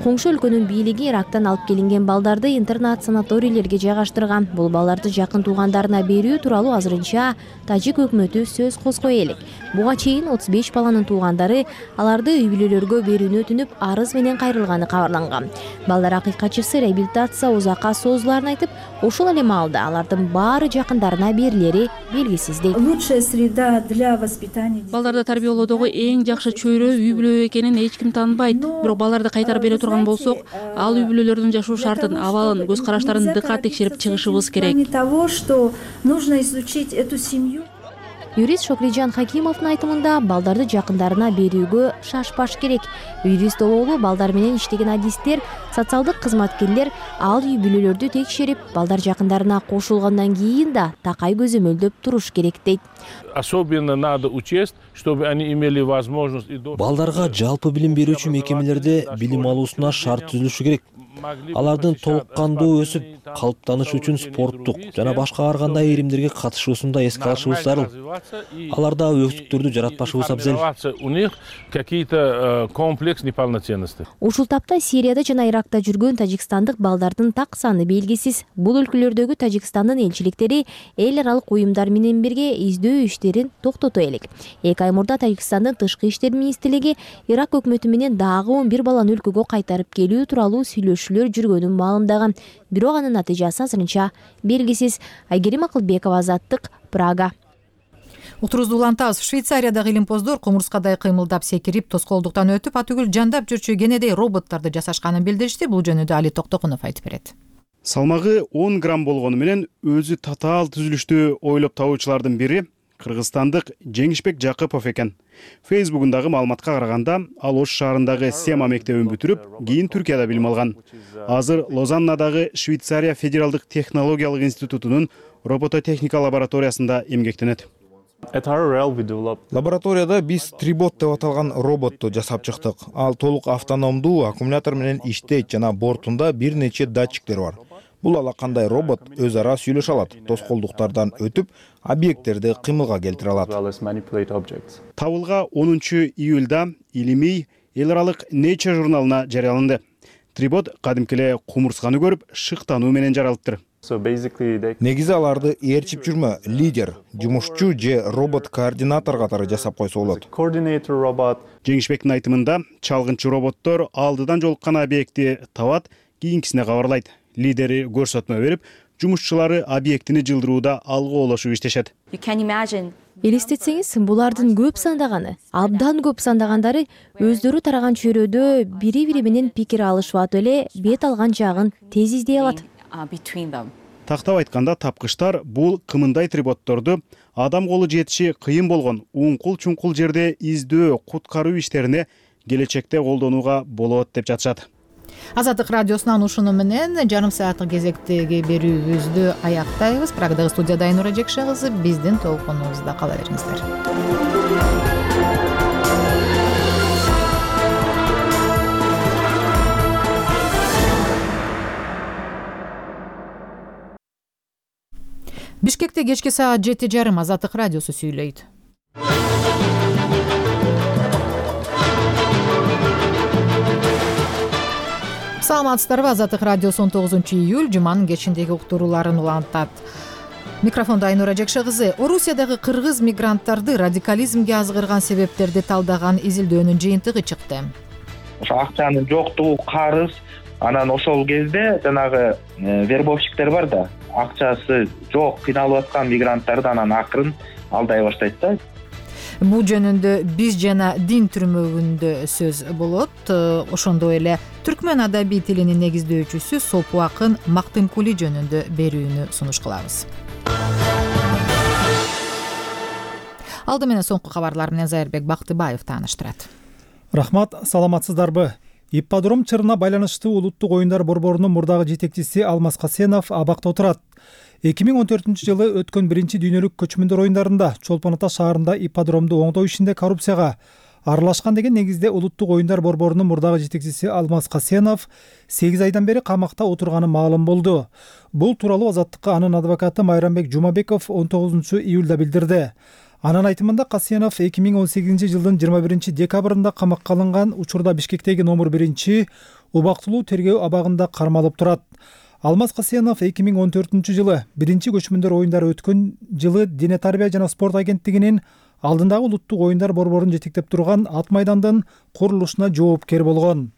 Коңшу өлкөнүн бийлиги Ирактан алып келинген балдарды интернат санаторийлерге жайгаштырган. Бул балдарды жакын туугандарына берүү тууралуу азырынча тажик өкмөтү сөз козгой элек. Буга чейин 35 баланын туугандары аларды үй бүлөлөргө берүүнү өтүнүп, арыз менен кайрылганы кабарланган. Балдар акыйкатчысы реабилитация узакка созуларын айтып, ошол эле маалда алардын баары жакындарына берилери белгисиз дейт. Лучшая среда для воспитания. Балдарды тарбиялоодогу эң жакшы чөйрө үй бүлө экенин эч ким тааныбайт. Бирок балдарды кайтарып бере турган болсок, ал үй бүлөлөрдүн жашоо шартын, абалын, көз караштарын дыкат текшерип чыгышыбыз керек. Того, что нужно изучить эту семью. Юрист Шокриджан Хакимовдун айтымында балдарды жакындарына берүүгө шашпаш керек. Юрист бололу балдар менен иштеген адистер, социалдык кызматкерлер ал үй бүлөлөрдү текшерип, балдар жакындарына кошулгандан кийин да такай көзөмөлдөп туруш керек дейт. Особенно надо учесть, чтобы они имели возможность. Балдарга жалпы билим берүүчү мекемелерде билим алуусуна шарт түзүлүшү керек. Алардын толук кандуу өсүп, калыптаныш үчүн спорттук жана башка ар кандай иримдерге катышуусунда эске алышыбыз зарыл. Аларда өксүктөрдү жаратпашыбыз абзел. У них какие-то комплекс неполноценности. Ушул тапта Сирияда жана Иракта жүргөн тажикстандык балдардын так саны белгисиз. Бул өлкөлөрдөгү Тажикстандын элчиликтери эл аралык уюмдар менен бирге издөө иштерин токтото элек. 2 ай мурда Тажикстандын тышкы иштер министрлиги Ирак өкмөтү менен дагы 11 баланы өлкөгө кайтарып келүү тууралуу сүйлөшүүлөр жүргөнүн маалымдаган. Бирок анын натыйжасы азырынча белгисиз. Айгерим Акылбекова, Азаттык, Прага. Утурузду улантабыз. Швейцариядагы илимпоздор кумурскадай кыймылдап секирип, тоскоолдуктан өтүп, атүгүл жандап жүрчү кенедей роботторду жасашканын билдиришти. Бул жөнүндө Али Токтокунов айтып берет. Салмагы 10 грамм болгону менен өзү татаал түзүлүштү ойлоп табуучулардын бири кыргызстандык Жеңишбек Жакыпов экен. Фейсбугундагы маалыматка караганда, ал Ош шаарындагы Сема мектебин бүтүрүп, кийин Түркияда билим алган. Азыр Лозаннадагы Швейцария федералдык технологиялык институтунун робототехника лабораториясында эмгектенет. Лабораторияда биз Трибот деп аталган роботту жасап чыктык. Ал толук автономдуу аккумулятор менен иштейт жана бортунда бир нече датчиктер бар. Бул ала кандай робот өз ара сүйлөшө алат, тоскоолдуктардан өтүп, объекттерди кыймылга келтире алат. Табылга 10 июлда илимий эл аралык Nature журналына жарыяланды. Трибот кадимки эле кумурсканы көрүп, шыктануу менен жаралыптыр. Негизи аларды ээрчип жүрмө, лидер, жумушчу же робот-координатор катары жасап койсо болот. Жеңишбектин айтымында, чалгынчы роботтор алдыдан жолуккан объектти табат, кийинкисине кабарлайт. Лидери көрсөтмө берип, жумушчулары объектини жылдырууда алгы иштешет. Элестетсеңиз, булардын көп сандаганы, абдан көп сандагандары өздөрү тараган чөйрөдө бири-бири менен пикир алышып атып эле бет алган жагын тез издей алат. Тактап айтканда, тапкычтар бул кымындай триботторду адам колу жетиши кыйын болгон уңкул-чуңкул жерде издөө, куткаруу иштерине келечекте колдонууга болот деп жатышат. Азаттык радиосунан ушуну менен жарым сааттык кезектеги берүүбүздү аяктайбыз. Прагдагы студияда Айнура Жекше кызы, биздин толкунубузда кала бериңиздер. Бишкекте кечки саат 7:30 Азаттык радиосу сүйлөйт. Саламатсыздарбы? Азаттык радиосу 19-июль жуманын кечиндеги уктурууларын улантат. Микрофондо Айнура Жекше кызы. Орусиядагы кыргыз мигранттарды радикализмге азгырган себептерди талдаган изилдөөнүн жыйынтыгы чыкты. Ошо акчанын жоктугу, карыз, анан ошол кезде жанагы вербовщиктер бар да, акчасы жок кыйналып аткан мигранттарды анан акырын алдай баштайт да. Бул жөнүндө биз жана дин түрмөгүндө сөз болот. Ошондой эле түркмөн адабий тилинин негиздөөчүсү Сопу акын Мактымкули жөнүндө берүүнү сунуш кылабыз. Алды менен соңку кабарлар менен Зайырбек Бактыбаев тааныштырат. Рахмат, саламатсыздарбы? Ипподром чырына байланыштуу улуттук оюндар борборунун мурдагы жетекчиси Алмаз Касенов абакта отурат. 2014-жылы өткөн биринчи дүйнөлүк көчмөндөр оюндарында Чолпон Ата шаарында ипподромду оңдоо ишинде коррупцияга аралашкан деген негизде улуттук оюндар борборунун мурдагы жетекчиси Алмаз Касенов 8 айдан бери камакта отурганы маалым болду. Бул тууралуу Азаттыкка анын адвокаты Майрамбек Жумабеков 19-июлда билдирди. Анын айтымында Касенов 2018-жылдын 21 декабрында камакка алынган, учурда Бишкектеги номер 1 убактылуу тергөө абагында кармалып турат. Алмаз Касенов 2014-жылы биринчи көчмөндөр оюндары өткөн жылы Дене тарбия жана спорт агенттигинин алдындагы улуттук оюндар борборун жетектеп турган ат майдандын курулушуна жоопкер болгон.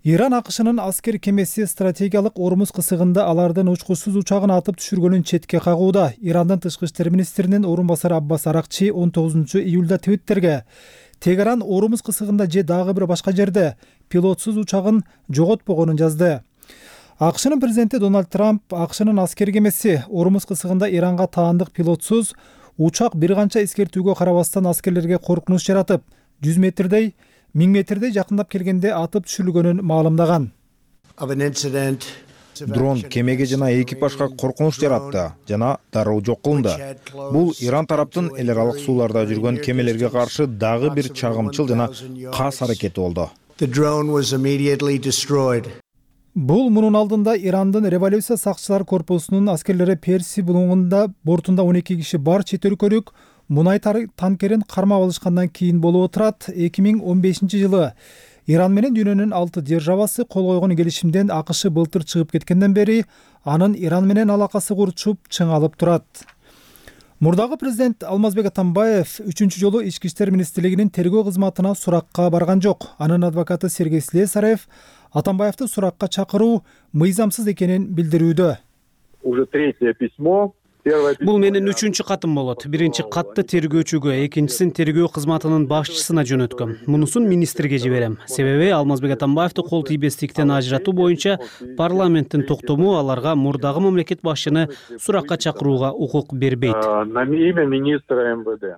Иран АКШнын аскер кемеси стратегиялык Ормуз кысыгында алардын учкусуз учагын атып түшүргөнүн четке кагууда. Ирандын тышкы иштер министринин орун басары Аббас Аракчи 19-июлда Твиттерге Тегеран Ормуз кысыгында же дагы бир башка жерде пилотсуз учагын жоготпогонун жазды. АКШнын президенти Дональд Трамп АКШнын аскер кемеси Ормуз кысыгында Иранга таандык пилотсуз учак бир канча эскертүүгө карабастан аскерлерге коркунуч жаратып, 100 метрдей, 1000 метрдей жакындап келгенде атып түшүрүлгөнүн маалымдаган. Дрон кемеге жана экипажга коркунуч жаратты жана дароо жок кылынды. Бул Иран тараптын эл аралык сууларда жүргөн кемелерге каршы дагы бир чагымчыл жана кас аракети болду. Бул мунун алдында Ирандын революция сакчылар корпусунун аскерлери Перси булуңунда бортунда 12 киши бар чет өлкөлүк мунай танкерин кармап алышкандан кийин болуп отурат. 2015-жылы Иран менен дүйнөнүн 6 державасы кол койгон келишимден АКШ былтыр чыгып кеткенден бери анын Иран менен алакасы курчуп чыңалып турат. Мурдагы президент Алмазбек Атамбаев 3-чү жолу Ички иштер министрлигинин тергөө кызматына суракка барган жок. Анын адвокаты Сергей Слесарев Атамбаевди суракка чакыруу мыйзамсыз экенин билдирүүдө. Уже третье письмо. Бул менин 3-чү катым болот. Биринчи катты тергөөчүгө, экинчисин тергөө кызматынын башчысына жөнөткөм. Мунусун министрге жиберем. Себеби Алмазбек Атамбаевди кол тийбестиктен ажыратуу боюнча парламенттин токтому аларга мурдагы мамлекет башчыны суракка чакырууга укук бербейт. На имя министра МВД.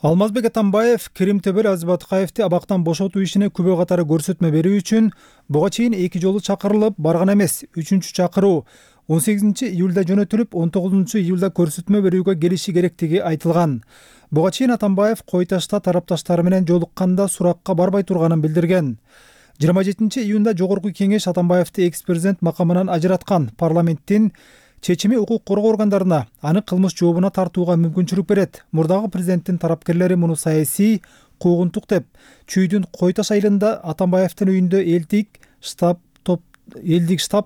Алмазбек Атамбаев Керим Төбөл Азбатыкаевди абактан бошотуу ишине күбө катары көрсөтмө берүү үчүн буга чейин 2 жолу чакырылып барган эмес. 3-чү чакыруу 18-июлда жөнөтүлүп, 19-июлда көрсөтмө берүүгө келиши керектиги айтылган. Буга чейин Атамбаев Койташта тарапташтары менен жолукканда суракка барбай турганын билдирген. 27-июнда жогорку кеңеш Атамбаевди экс-президент макамынан ажыраткан. Парламенттин чечими укук коргоо органдарына аны кылмыш жообуна тартууга мүмкүнчүлүк берет. Мурдагы президенттин тарапкерлери муну саясий куугунтук деп, Чүйдүн Койташ айылында Атамбаевдин үйүндө элдик штаб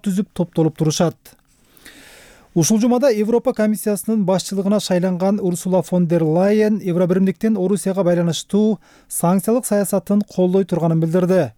түзүп топтолуп турушат. Ушул жумада Европа комиссиясынын башчылыгына шайланган Урсула фон дер Лайен Евробиримдиктин Орусияга байланыштуу санкциялык саясатын колдой турганын билдирди.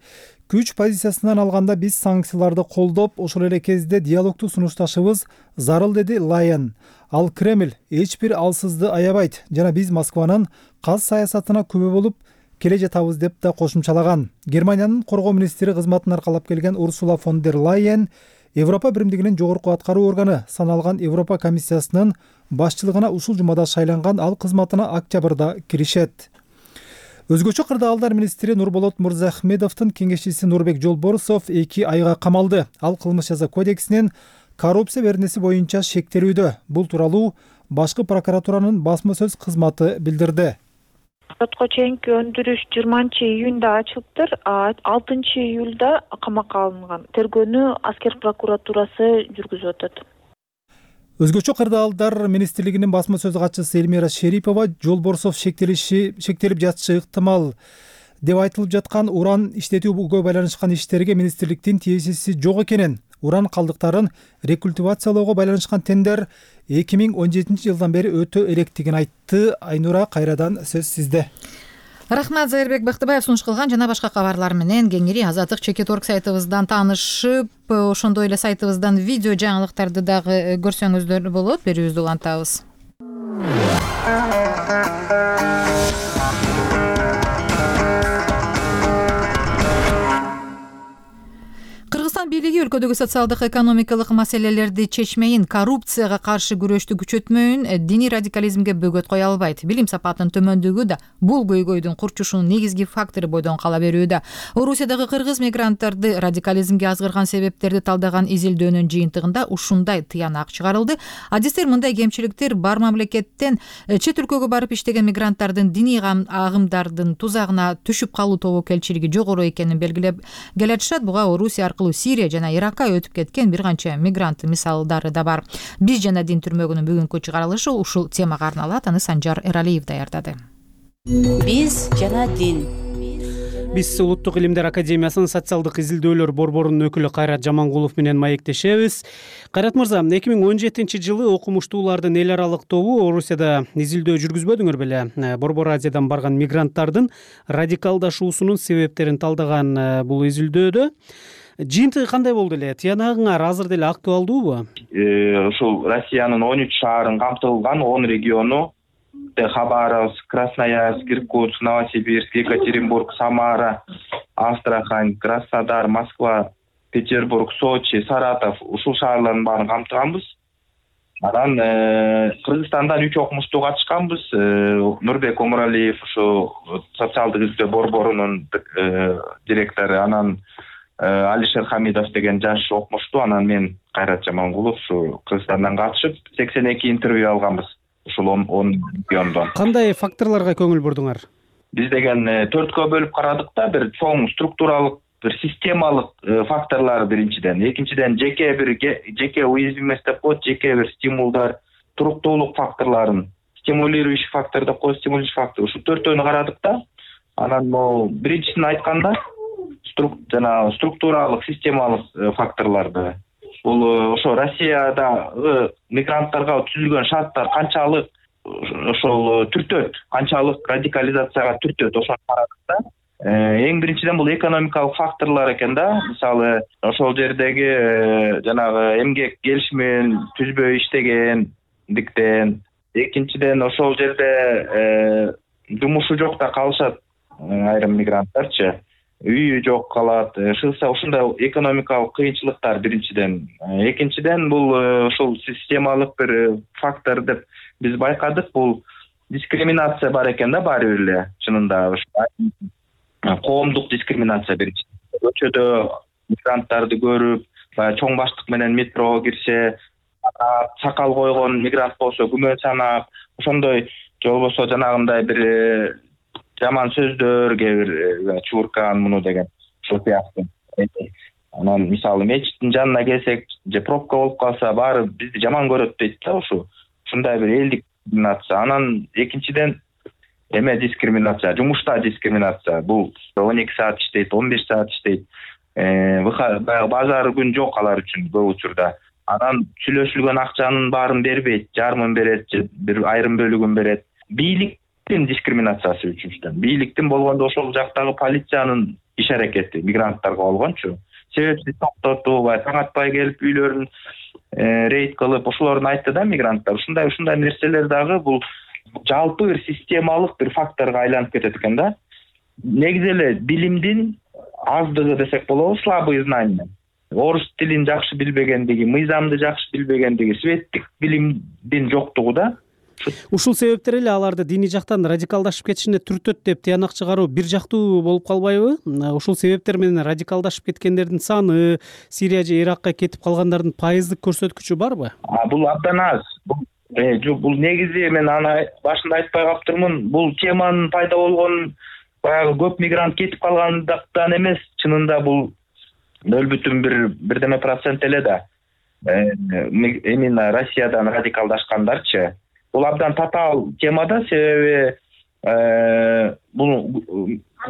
Күч позициясынан алганда биз санкцияларды колдоп, ошол эле кезде диалогду сунушташыбыз зарыл, деди Лайен. Ал Кремль эч бир алсызды аябайт жана биз Москванын каз саясатына күбө болуп келе жатабыз деп да кошумчалаган. Германиянын коргоо министри кызматын аркалап келген Урсула фон дер Лайен Европа биримдигинин жогорку аткаруу органы саналган Европа комиссиясынын башчылыгына ушул жумада шайланган. Ал кызматына октябрда киришет. Өзгөчө кырдаалдар министри Нурболот Мырзахмедовдун кеңешчиси Нурбек Жолборусов 2 айга камалды. Ал кылмыш жаза кодексинин коррупция беренеси боюнча шектелүүдө. Бул тууралуу башкы прокуратуранын басма сөз кызматы билдирди. Сотко чейинки өндүрүш 20-июнда ачылыптыр, 6-июлда камакка алынган. Тергөөнү аскер прокуратурасы жүргүзүп атат. Өзгөчө кырдаалдар министрлигинин басма сөз катчысы Эльмира Шерипова Жолборусов шектелип жатышы ыктымал деп айтылып жаткан уран иштетүүгө байланышкан иштерге министрликтин тиешеси жок экенин, уран калдыктарын рекультивациялоого байланышкан тендер 2017 жылдан бери өтө электигин айтты. Айнура, кайрадан сөз сизде. Рахмат, Зайырбек Бактыбаев сунуш кылган жана башка кабарлар менен кеңири Азаттык Чекит.орг сайтыбыздан таанышып, ошондой эле сайтыбыздан видео жаңылыктарды дагы көрсөңүздөр болот. Берүүбүздү улантабыз. Кыргызстан бийлиги өлкөдөгү социалдык экономикалык маселелерди чечмейин, коррупцияга каршы күрөштү күчөтмөйүн диний радикализмге бөгөт кое албайт. Билим сапатынын төмөндүгү да бул көйгөйдүн курчушунун негизги фактору бойдон кала берүүдө. Орусиядагы кыргыз мигранттарды радикализмге азгырган себептерди талдаган изилдөөнүн жыйынтыгында ушундай тыянак чыгарылды. Адистер мындай кемчиликтер бар мамлекеттен чет өлкөгө барып иштеген мигранттардын диний агымдардын тузагына түшүп калуу тобокелчилиги жогору экенин белгилеп келатышат. Буга Орусия аркылуу Сирия жана Иракка өтүп кеткен бир канча мигрант мисалдары да бар. Биз жана дин түрмөгүнүн бүгүнкү чыгарылышы ушул темага арналат. Аны Санжар Эралиев даярдады. Биз жана дин. Биз Улуттук илимдер академиясынын социалдык изилдөөлөр борборунун өкүлү Кайрат Жамангулов менен маектешебиз. Кайрат мырза, 2017 жылы окумуштуулардын эл аралык тобу Орусияда изилдөө жүргүзбөдүңөр беле? Борбор Азиядан барган мигранттардын радикалдашуусунун себептерин талдаган бул изилдөөдө жыйынтыгы кандай болду эле? Тыянагыңар азыр деле актуалдуубу? Ушул Россиянын 13 шаарын камтылган 10 региону Хабаровск, Красноярск, Иркутск, Новосибирск, Екатеринбург, Самара, Астрахань, Краснодар, Москва, Петербург, Сочи, Саратов ушул шаарлардын баарын камтыганбыз. Анан Кыргызстандан 3 окумуштуу катышканбыз. Нурбек Омуралиев ушу социалдык изилдөө борборунун директору, анан Алишер Хамидов деген жаш окумуштуу, анан мен Кайрат Жамангулов ушу Кыргызстандан катышып 82 интервью алганбыз. Ушул 10 региондон. Кандай факторлорго көңүл бурдуңар? Биз деген 4кө бөлүп карадык да, бир чоң структуралык, бир системалык факторлор биринчиден, экинчиден жеке уязвимость деп коет, жеке бир стимулдар, туруктуулук факторлорун, стимулирующий фактор деп коет, стимулирующий фактор. Ушу төртөөнү карадык да. Анан могу биринчисин айтканда структуралык, системалык факторлорду. Бул ошо Россияда мигранттарга түзүлгөн шарттар канчалык ошол түртөт, канчалык радикализацияга түртөт, ошону карадык да. Эң биринчиден бул экономикалык факторлор экен да. Мисалы, ошол жердеги жанагы эмгек келишимин түзбөй иштегендиктен, экинчиден ошол жерде жумушу жокта калышат айрым мигранттарчы. Үйү жок калат, ушундай экономикалык кыйынчылыктар биринчиден. Экинчиден бул ушул системалык бир фактор деп биз байкадык, бул дискриминация бар экен да, баары бир эле чынында. Коомдук дискриминация биринчи. Көчөдө мигранттарды көрүп, чоң баштык менен метрого кирсе, сакал койгон мигрант болсо күмөн санап, ошондой же болбосо жанагындай бир жаман сөздөр, кээ бир чуркан муну деген ошол сыяктуу. Анан мисалы мечиттин жанына келсек, же пробка болуп калса, баары бизди жаман көрөт дейт да, ушундай бир элдик дискриминация. Анан экинчиден дискриминация, жумушта дискриминация. Бул 12 саат иштейт, 15 саат иштейт. Базар күн жок алар үчүн көп учурда. Анан сүйлөшүлгөн акчанын баарын бербейт, жарымын берет, же бир айрым бөлүгүн берет. Бийлик дискриминациясы үчүнчүдөн бийликтин болгондо ошол жактагы полициянын иш аракети мигранттарга болгончу себепсиз токтотуп таң атпай келип үйлөрүн рейд кылып ошолорун айтты да мигранттар ушундай нерселер дагы бул жалпы бир системалык бир факторго айланып кетет экен да. Негизи эле билимдин аздыгы десек болобу, слабые знания, орус тилин жакшы билбегендиги, мыйзамды жакшы билбегендиги, светтик билимдин жоктугу да. Ушул себептер эле аларды диний жактан радикалдашып кетишине түртөт деп тыянак чыгаруу бир жактуу болуп калбайбы? Ушул себептер менен радикалдашып кеткендердин саны, Сирия же Иракка кетип калгандардын пайыздык көрсөткүчү барбы? Бул абдан аз. Бул негизи мен аны башында айтпай калыптырмын. Бул теманын пайда болгонун баягы көп мигрант кетип калгандыктан эмес, чынында бул 0,1 эле да. Именно Россиядан радикалдашкандарчы. Бул абдан татаал тема да, себеби бул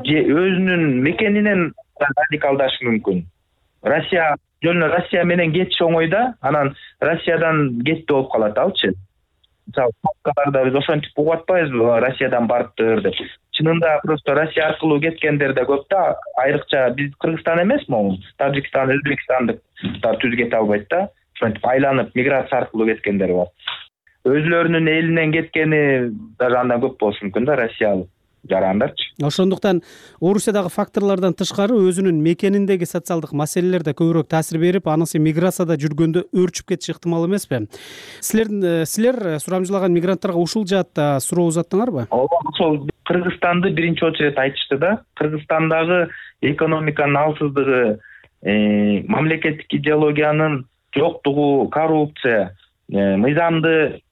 өзүнүн мекенинен радикалдашы мүмкүн. Россия менен кетиш оңой да, анан Россиядан кетти болуп калат алчы. Мисалы, папкаларда биз ошентип угуп атпайбызбы, Россиядан барыптыр деп. Чынында просто Россия аркылуу кеткендер да көп да, айрыкча биз Кыргызстан эмесми, Тажикстан, Өзбекстандыктар түз кете албайт да. Ошентип айланып миграция аркылуу кеткендер бар. Өзлөрүнүн элинен кеткени даже андан көп болушу мүмкүн да, россиялык жарандарчы. Ошондуктан Орусиядагы факторлордон тышкары өзүнүн мекениндеги социалдык маселелер да көбүрөөк таасир берип, анысы миграцияда жүргөндө өөрчүп кетиши ыктымал эмеспи? Силер сурамжылаган мигранттарга ушул жаатта суроо узаттыңарбы? Ошол Кыргызстанды биринчи очередь айтышты да. Кыргызстандагы экономиканын алсыздыгы, мамлекеттик идеологиянын жоктугу, коррупция,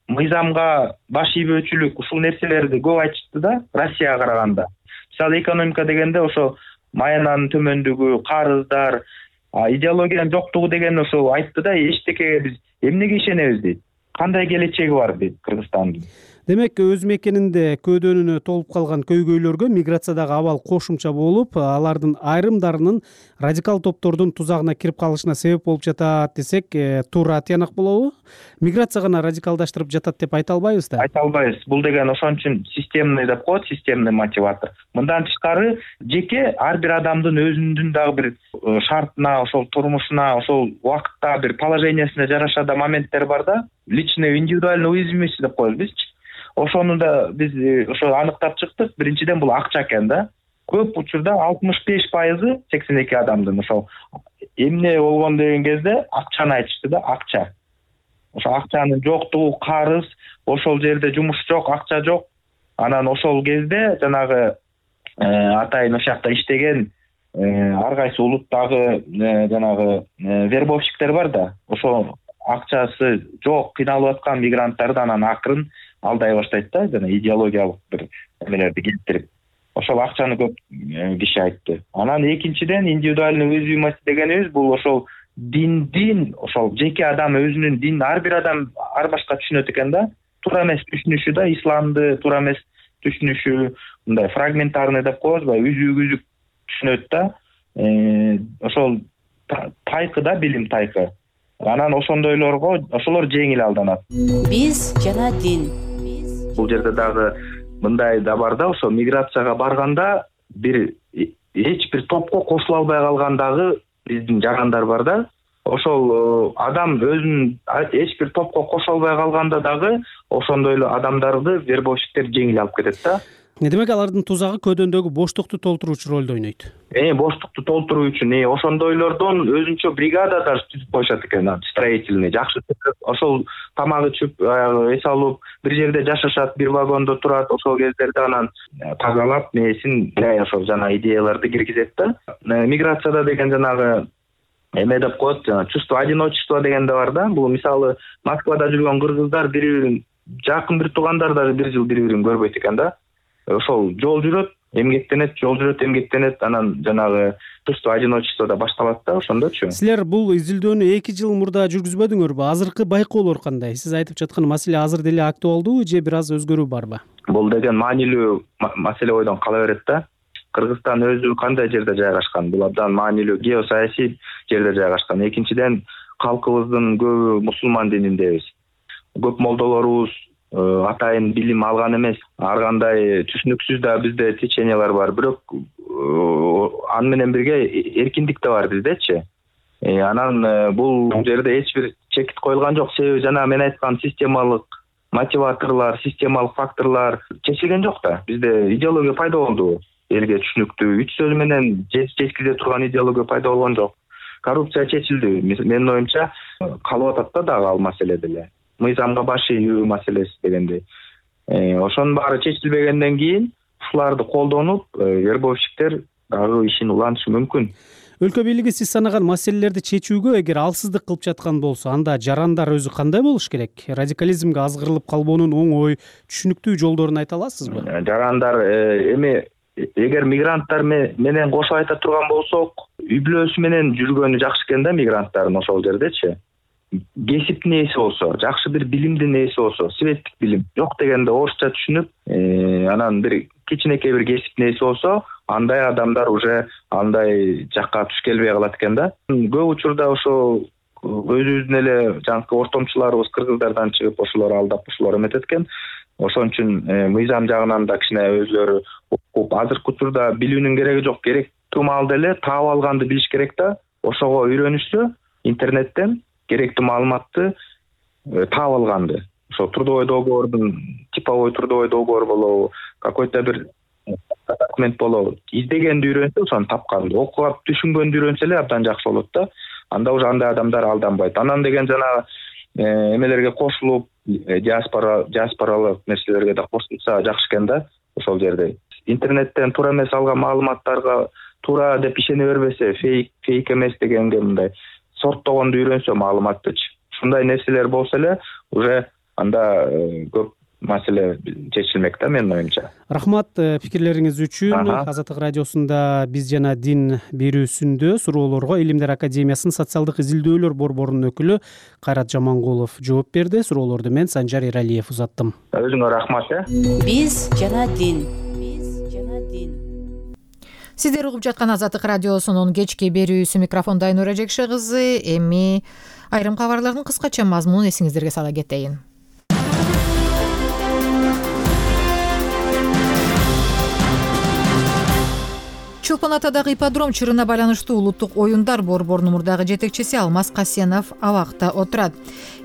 мыйзамга баш ийбөөчүлүк, ушул нерселерди көп айтышты да Россияга караганда. Мисалы, экономика дегенде ошо маянанын төмөндүгү, карыздар, идеологиянын жоктугу деген ошо айтты да, эчтекеге биз эмнеге ишенебиз дейт. Кандай келечеги бар дейт Кыргызстандын. Демек, өз мекенинде көөдөнүнө толуп калган көйгөйлөргө миграциядагы абал кошумча болуп, алардын айрымдарынын радикал топтордун тузагына кирип калышына себеп болуп жатат десек, туура тыянак болобу? Миграция гана радикалдаштырып жатат деп айта албайбыз да? Айта албайбыз. Бул деген ошон үчүн системный деп коет, системный мотиватор. Мындан тышкары жеке ар бир адамдын өзүнүн дагы бир шартына, ошол турмушуна, ошол убакытта бир положениясына жараша да моменттер бар да. Личный, индивидуальный уязвимость деп коебуз бизчи. Ошону да биз ошо аныктап чыктык. Биринчиден бул акча экен да. Көп учурда 65% 82 адамдын ошол эмне болгон деген кезде акчаны айтышты да, акча. Ошо акчанын жоктугу, карыз, ошол жерде жумуш жок, акча жок. Анан ошол кезде жанагы атайын ошол жакта иштеген ар кайсы улуттагы жанагы вербовщиктер бар да. Ошо акчасы жок, кыйналып аткан мигранттарды анан акырын алдай баштайт да, жана идеологиялык бир эмелерди келтирип. Ошол акчаны көп киши айтты. Анан экинчиден индивидуальный уязвимость дегенибиз бул ошол диндин, ошол жеке адам өзүнүн динин ар бир адам ар башка түшүнөт экен да. Туура эмес түшүнүшү да, исламды туура эмес түшүнүшү, мындай фрагментарный деп коебузбу, үзүк түшүнөт да. Ошол тайкы да, билим тайкы. Анан ошондойлорго ошолор жеңил алданат. Биз жана дин. Бул жерде дагы мындай да бар да, ошо миграцияга барганда эч бир топко кошула албай калган дагы биздин жарандар бар да. Ошол адам өзүн эч бир топко кошо албай калганда дагы ошондой эле адамдарды вербовщиктер жеңил алып кетет да. Демек, алардын тузагы көөдөндөгү боштукту толтуруучу ролду ойнойт. Боштукту толтуруу үчүн ошондойлордон өзүнчө бригада даже түзүп коюшат экен, строительный, жакшы. Ошол тамак ичип, эс алып, бир жерде жашашат, бир вагондо турат, ошол кездерде анан тазалап, несин, ошол жана идеяларды киргизет да. Миграцияда деген жанагы эме деп коет, чувство одиночества деген да бар да. Бул мисалы Москвада жүргөн кыргыздар бири-бирин жакын бир туугандар даже бир жыл бири-бирин көрбөйт экен да. Ошол жол жүрөт, эмгектенет, анан жанагы чувство одиночествода башталат да, ошондочу. Силер бул изилдөөнү 2 жыл мурда жүргүзбөдүңөрбү? Азыркы байкоолор кандай? Сиз айтып жаткан маселе азыр деле актуалдуу же бир аз өзгөрүү барбы? Бул деген маанилүү маселе бойдон кала берет да. Кыргызстан өзү кандай жерде жайгашкан? Бул абдан маанилүү геосаясий жерде жайгашкан. Экинчиден, калкыбыздын көбү мусулман дининдебиз. Көп молдолорубуз атайын билим алган эмес, ар кандай түшүнүксүз да бизде течениялар бар, бирок аны менен бирге эркиндик да бар биздечи. Анан бул жерде эч бир чекит коюлган жок, себеби жана мен айткан системалык мотиваторлор, системалык факторлор чечилген жок да. Бизде идеология пайда болду, элге түшүнүктүү, үч сөз менен жеткизе турган идеология пайда болгон жок. Коррупция чечилди. Менин оюмча калып атат да дагы ал маселе деле. Мыйзамга баш ийүү маселеси дегендей. Ошонун баары чечилбегенден кийин ушуларды колдонуп, вербовщиктер дагы ишин улантышы мүмкүн. Өлкө бийлиги сиз санаган маселелерди чечүүгө эгер алсыздык кылып жаткан болсо, анда жарандар өзү кандай болуш керек? Радикализмге азгырылып калбоонун оңой, түшүнүктүү жолдорун айта аласызбы? Жарандар эми эгер мигранттар менен кошуп айта турган болсок, үй бүлөсү менен жүргөнү жакшы экен да мигранттардын ошол жердечи. Кесиптин ээси болсо, жакшы бир билимдин ээси болсо, светтик билим жок дегенде орусча түшүнүп, анан бир кичинекей бир кесиптин ээси болсо, андай адамдар уже андай жакка туш келбей калат экен да. Көп учурда ошо өзүбүздүн эле жанакы ортомчуларыбыз кыргыздардан чыгып ошолор алдап ошолор эметет экен. Ошон үчүн мыйзам жагынан да кичине өзүлөрү окуп, азыркы учурда билүүнүн кереги жок, керектүү маалда эле таап алганды билиш керек да. Ошого үйрөнүшсө интернеттен керектүү маалыматты таап алганды. Ошо трудовой договордун, типовой трудовой договор болобу, какой-то бир документ болобу, издегенди үйрөнсө, ошону тапканды, окуп түшүнгөндү үйрөнсө эле абдан жакшы болот да. Анда уже андай адамдар алданбайт. Анан деген жана эмелерге кошулуп, диаспоралык нерселерге да кошулса жакшы экен да ошол жерде. Интернеттен туура эмес алган маалыматтарга туура деп ишене бербесе, фейк эмес дегенге мындай сорттогонду үйрөнсө маалыматтычы. Ушундай нерселер болсо эле уже анда көп маселе чечилмек да менин оюмча. Рахмат пикирлериңиз үчүн. Азаттык радиосунда биз жана дин берүүсүндө суроолорго Илимдер академиясынын социалдык изилдөөлөр борборунун өкүлү Кайрат Жамангулов жооп берди. Суроолорду мен Санжар Эралиев узаттым. Өзүңөр рахмат. Биз жана дин. Сиздер угуп жаткан Азаттык радиосунун кечки берүүсү, микрофондо Айнура Жекше кызы. Эми айрым кабарлардын кыскача мазмунун эсиңиздерге сала кетейин. Чолпон Атадагы ипподром чырына байланыштуу улуттук оюндар борборунун мурдагы жетекчиси Алмаз Касенов абакта отурат.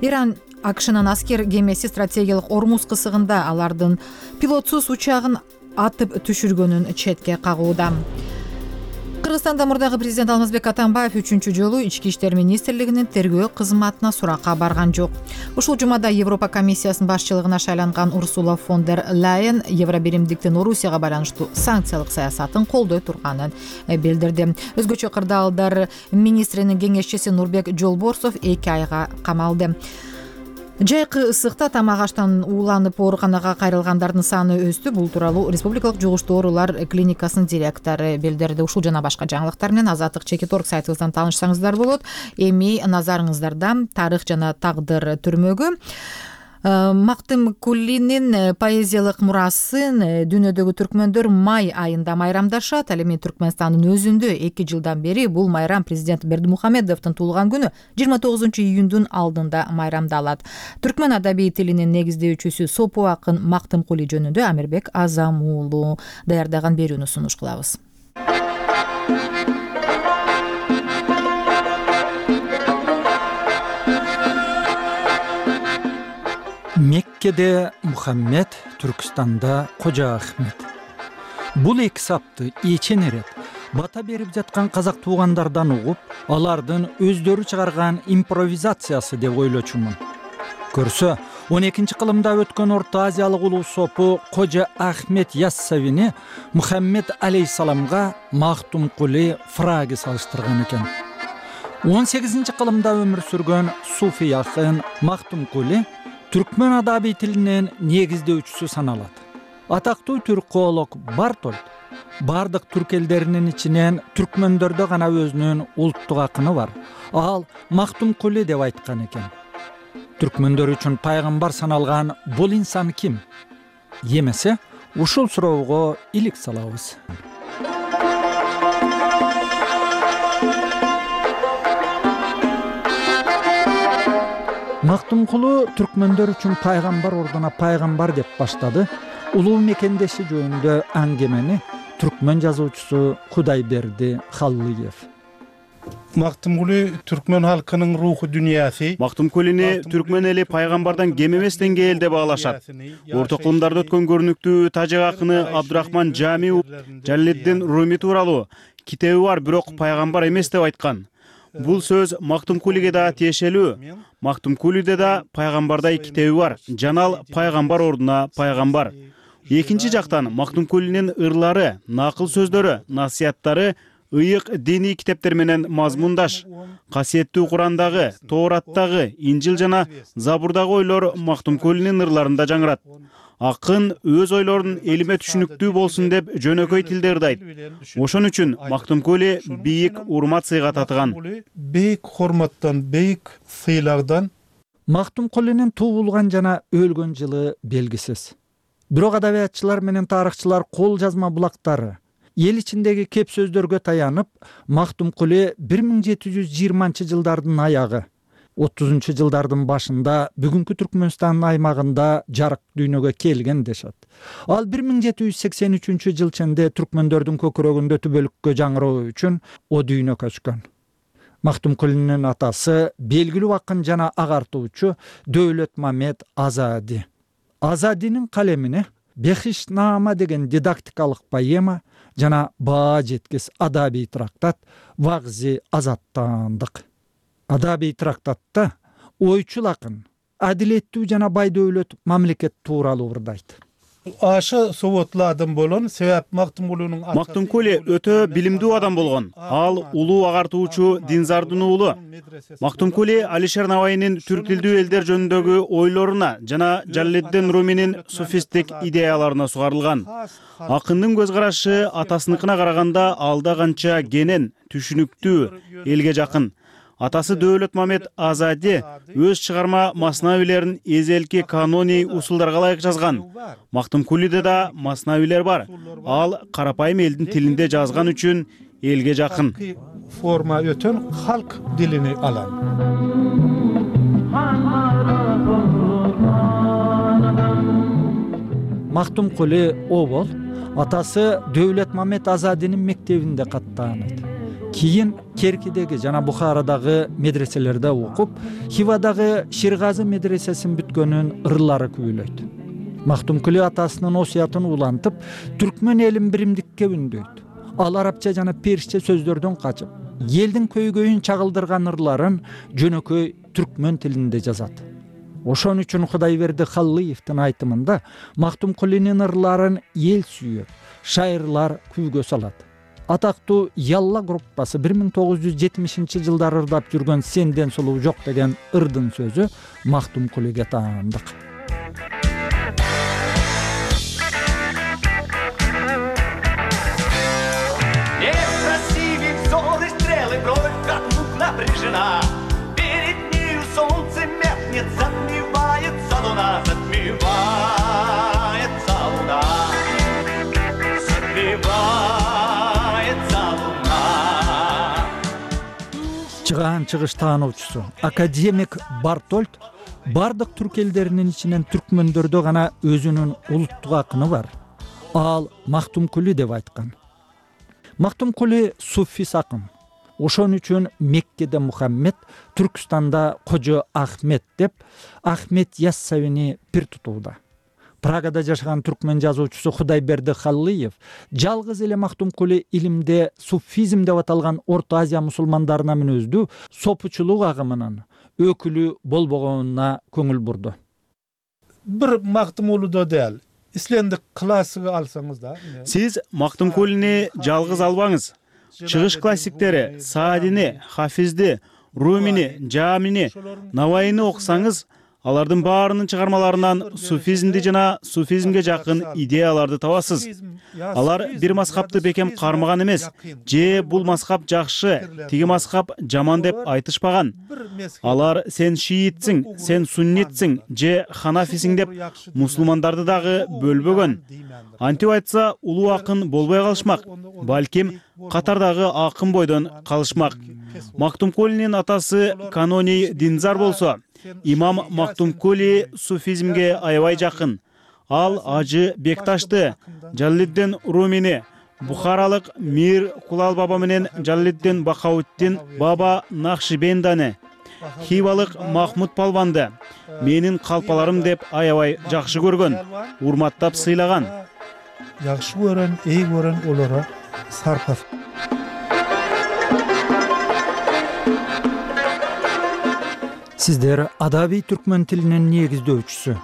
Иран АКШнын аскер кемеси стратегиялык Ормуз кысыгында алардын пилотсуз учагын атып түшүргөнүн четке кагууда. Кыргызстанда мурдагы президент Алмазбек Атамбаев 3-чү жолу Ички иштер министрлигинин тергөө кызматына суракка барган жок. Ушул жумада Европа комиссиясынын башчылыгына шайланган Урсула фон дер Лайен Евробиримдиктин Орусияга байланыштуу санкциялык саясатын колдой турганын билдирди. Өзгөчө кырдаалдар министринин кеңешчиси Нурбек Жолборсов 2 айга камалды. Жайкы ысыкта тамак аштан ууланып ооруканага кайрылгандардын саны өстү. Бул тууралуу Республикалык жугуштуу оорулар клиникасынын директору билдирди. Ушул жана башка жаңылыктар менен Азаттык.org сайтыбыздан таанышсаңыздар болот. Эми назарыңыздарда тарых жана тагдыр түрмөгү Мактым Кулинин поэзиялык мурасын дүйнөдөгү түркмөндөр май айында майрамдашат. Ал эми Түркмөнстандын өзүндө 2 жылдан бери бул майрам президент Бердимухамедовдун туулган күнү 29-июндун алдында майрамдалат. Түркмөн адабий тилинин негиздөөчүсү сопу акын Мактым Кули жөнүндө Амирбек Азамуулу даярдаган берүүнү сунуш кылабыз. Меккеде Мухаммед, Түркістанда Кожа Ахмет. Бул эки сапты эчен эрет бата берип жаткан казак туугандардан угуп, алардын өздөрү чыгарган импровизациясы деп ойлочумун. Көрсө, 12-кылымда өткөн Орто Азиялык улуу сопу Кожа Ахмет Яссавини Мухаммед алейхисаламга Мактум Кули фраги салыштырган экен. 18-кылымда өмүр сүргөн суфи акын Мактум Кули түркмөн адабий тилинин негиздөөчүсү саналат. Атактуу түрколог Бартольд бардык түрк элдеринин ичинен түркмөндөрдө гана өзүнүн улуттук акыны бар. Ал Мактум Кули деп айткан экен. Түркмөндөр үчүн пайгамбар саналган бул инсан ким? Эмесе, ушул суроого илик салабыз. Мактумкулу түркмөндөр үчүн пайгамбар ордуна пайгамбар деп баштады улуу мекендеши жөнүндө аңгемени түркмөн жазуучусу Кудайберди Халлыев. Мактумкули түркмөн халкынын руху дүниясы. Мактумкулини түркмөн эли пайгамбардан кем эмес деңгээлде баалашат. Орто кылымдарда өткөн көрүнүктүү тажик акыны Абдурахман Жамиу Жалледдин Руми тууралуу китеби бар, бирок пайгамбар эмес деп айткан. Бул сөз Мактумкулиге да тиешелүү. Мактумкулиде да пайгамбардай китеби бар. Жанал пайгамбар ордуна пайгамбар. Экинчи жактан Мактумкулинин ырлары, накыл сөздөрү, насыяттары ыйык диний китептер менен мазмундаш. Касиеттүү Курандагы, Тоораттагы, Инжил жана Забурдагы ойлор Мактумкулинин ырларында жаңырат. Акын өз ойлорун элиме түшүнүктүү болсун деп жөнөкөй тилде ырдайт. Ошон үчүн Мактумкули бийик урмат сыйга татыган. Бейик хурматтан, бейик сыйлардан. Мактумкулинин туулган жана өлгөн жылы белгисиз. Бирок адабиятчылар менен тарыхчылар кол жазма булактары, эл ичиндеги кеп сөздөргө таянып, Мактумкули 1720-жылдардын аягы, 30-жылдардын башында бүгүнкү Түркмөнстандын аймагында жарык дүйнөгө келген дешет. Ал 1783-жыл ченде түркмөндөрдүн көкүрөгүндө түбөлүккө жаңыроо үчүн о дүйнө көчкөн. Мактумкулинин атасы белгилүү акын жана агартуучу Дөөлөтмамет Азади. Азадинин калемине Бехишнама деген дидактикалык поэма жана баа жеткис адабий трактат Вагзи азаттандык. Адабий трактатта ойчул акын адилеттүү жана бай дөөлөт мамлекет тууралуу ырдайт. Ашы советладым болон, себеп Мактумкули өтө билимдүү адам болгон. Ал улуу агартуучу Динзардын уулу. Мактумкули Алишер Навайнин түрк тилдүү элдер жөнүндөгү ойлоруна жана Жалледдин Руминин суфисттик идеяларына сугарылган. Акындын көз карашы атасыныкына караганда алда канча кенен, түшүнүктүү, элге жакын. Атасы Дөөлөтмамет Азади өз чыгарма маснавилерин эзелки каноний усулдарга ылайык жазган. Мактумкулиде да маснавилер бар. Ал карапайым элдин тилинде жазган үчүн элге жакын. Форма өтөн халк дилини алан. Мактумкули обол атасы Дөөлөтмамет Азадинин мектебинде каттаанат. Кийин Керкидеги жана Бухарадагы медреселерде окуп, Хивадагы Ширгазы медресесин бүткөнүн ырлары күбөлөйт. Мактумкули атасынын осуятын улантып, түркмөн элин биримдикке үндөйт. Ал арабча жана персче сөздөрдөн качып, элдин көйгөйүн чагылдырган ырларын жөнөкөй түркмөн тилинде жазат. Ошон үчүн Кудайберди Халлыевдин айтымында Мактумкулинин ырларын эл сүйөт, шайырлар күйгө салат. Атактуу Ялла группасы 1970-жылдары ырдап жүргөн Сенден сулуу жок деген ырдын сөзү Мактумкулиге таандык. Некрасивый взор и стрелы, бровь как мук напряжена. Перед нею солнце меркнет, затмевается луна, затмевается луна, затмевается луна. Чыгаан чыгыш таануучусу академик Бартольд бардык түрк элдеринин ичинен түркмөндөрдө гана өзүнүн улуттук акыны бар. Ал Мактумкули деп айткан. Мактумкули суфис акын. Ошон үчүн Меккеде Мухаммед, Түркстанда Кожо Ахмет деп Ахмет Яссавини пир тутууда. Прагада жашаган түркмөн жазуучусу Кудайберди Халлыев жалгыз эле Мактумкули илимде суфизм деп аталган Орто Азия мусулмандарына мүнөздүү сопучулук агымынын өкүлү болбогонуна көңүл бурду. Бир Мактумкулидо дел, ислендик классыгы алсаңыз да. Сиз Мактумкулини жалгыз албаңыз. Чыгыш классиктери Саадини, Хафизди, Румини, Жамини, Навайни окусаңыз, алардын баарынын чыгармаларынан суфизмди жана суфизмге жакын идеяларды табасыз. Алар бир мазхабты бекем кармаган эмес, же бул мазхаб жакшы, тиги мазхаб жаман деп айтышпаган. Алар сен шиитсиң, сен суннитсиң, же ханафисиң деп мусулмандарды дагы бөлбөгөн. Антип айтса, улуу акын болбой калышмак, балким катардагы акын бойдон калышмак. Мактумкулинин атасы каноний Динзар болсо, имам Мактумкули суфизмге аябай жакын. Ал Ажы Бекташты, Жалалиддин Румини, Бухаралык Мир Кулал баба менен Жалалиддин Бакауттин баба Нахшибенданы, Хивалык Махмуд Палванды менин калпаларым деп аябай жакшы көргөн, урматтап сыйлаган. Жакшы көрөн, эй көрөн олора сарпас. Сиздер адабий түркмөн тилинин негиздөөчүсү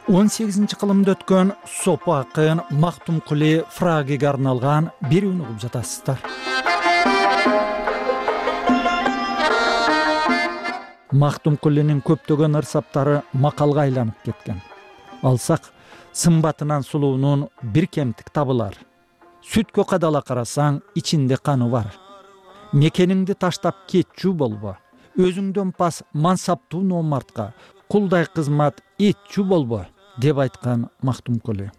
18-кылымда өткөн сопу акын Мактумкули Фрагиге арналган берүүнү угуп жатасыздар. Мактумкулинин көптөгөн ырсаптары макалга айланып кеткен. Алсак, сымбатынан сулуунун бир кемтик табылар. Сүткө кадала карасаң, ичинде каны бар. Мекениңди таштап кетчү болбо. Өзүңдөн пас мансаптуу номартка, кулдай кызмат этчү болбо, деп айткан Мактумкули.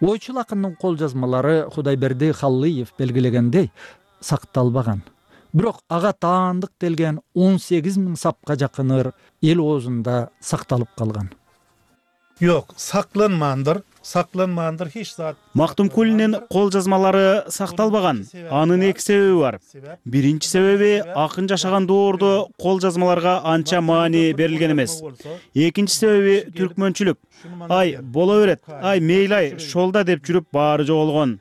Ойчул акындын кол жазмалары Кудайберди Халлыев белгилегендей сакталбаган. Бирок ага таандык делген 18 000 сапка жакын ыр эл оозунда сакталып калган. Жок, сакланмандыр эч зат. Мактумкулинин кол жазмалары сакталбаган. Анын эки себеби бар. Биринчи себеби акын жашаган доордо кол жазмаларга анча маани берилген эмес. Экинчи себеби түркмөнчүлүк. Ай, боло берет. Ай, мейли, шолда деп жүрүп баары жоголгон.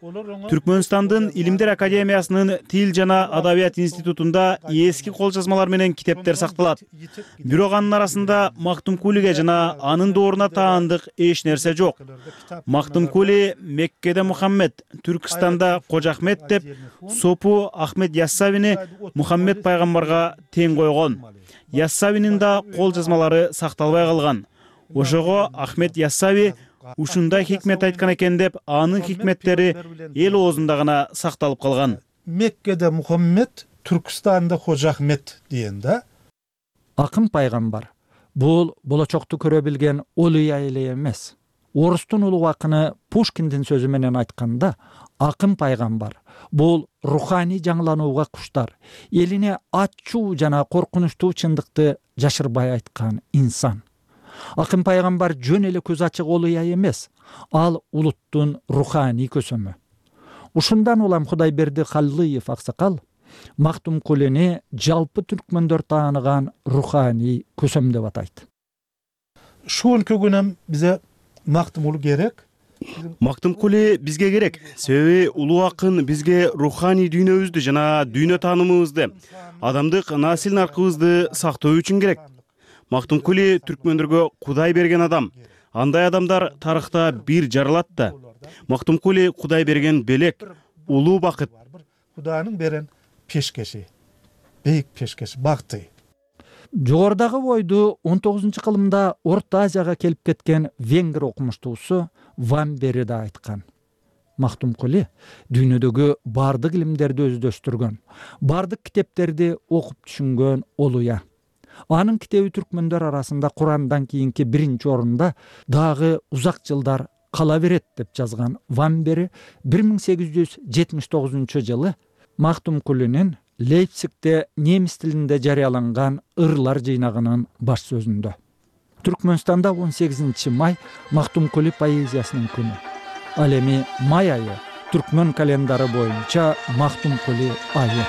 Түркмөнстандын Илимдер академиясынын Тил жана Адабият институтунда эски кол жазмалар менен китептер сакталат. Бирок анын арасында Мактумкулиге жана анын дооруна таандык эч нерсе жок. Мактумкули Меккеде Мухаммед, Түркистанда Кожо Ахмет деп сопу Ахмед Яссавини Мухаммед пайгамбарга тең койгон. Яссавинин да кол жазмалары сакталбай калган. Ошого Ахмед Яссави ушундай хикмет айткан экен деп анын хикметтери эл оозунда гана сакталып калган. Меккеде Мухаммед, Түркистанда Кожо Ахмет деген да. Акын пайгамбар бул болочокту көрө билген олуя эле эмес. Орустун улуу акыны Пушкиндин сөзү менен айтканда, акын пайгамбар бул руханий жаңыланууга куштар, элине ачуу жана коркунучтуу чындыкты жашырбай айткан инсан. Акын пайгамбар жөн эле көз ачык олуя эмес, ал улуттун руханий көсөмү. Ушундан улам Кудайберди Халлыев аксакал Мактумкулини жалпы түркмөндөр тааныган руханий көсөм деп атайт. Ушунчу күнөм бизе Мактумкули керек. Мактумкули бизге керек. Себеби улуу акын бизге руханий дүйнөбүздү жана дүйнө таанымыбызды, адамдык насил наркыбызды сактоо үчүн керек. Мактумкули түркмөндөргө Кудай берген адам. Андай адамдар тарыхта бир жаралат да. Мактумкули Кудай берген белек, улуу бакыт. Кудайнын берен пешкеши, бейик пешкеши, бакыты. Жогордагы бойду 19-кылымда Орто Азияга келип кеткен венгер окумуштуусу Вамбери да айткан. Мактумкули дүйнөдөгү бардык илимдерди өздөштүргөн, бардык китептерди окуп түшүнгөн олуя. Анын китеби түркмөндөр арасында Курандан кийинки биринчи орунда дагы узак жылдар кала берет деп жазган Вамбери 1879 жылы Мактумкулинин Лейпцигте немис тилинде жарыяланган ырлар жыйнагынын баш сөзүндө. Түркмөнстанда 18 май Мактумкули поэзиясынын күнү. Ал эми май айы түркмөн календары боюнча Мактумкули айы.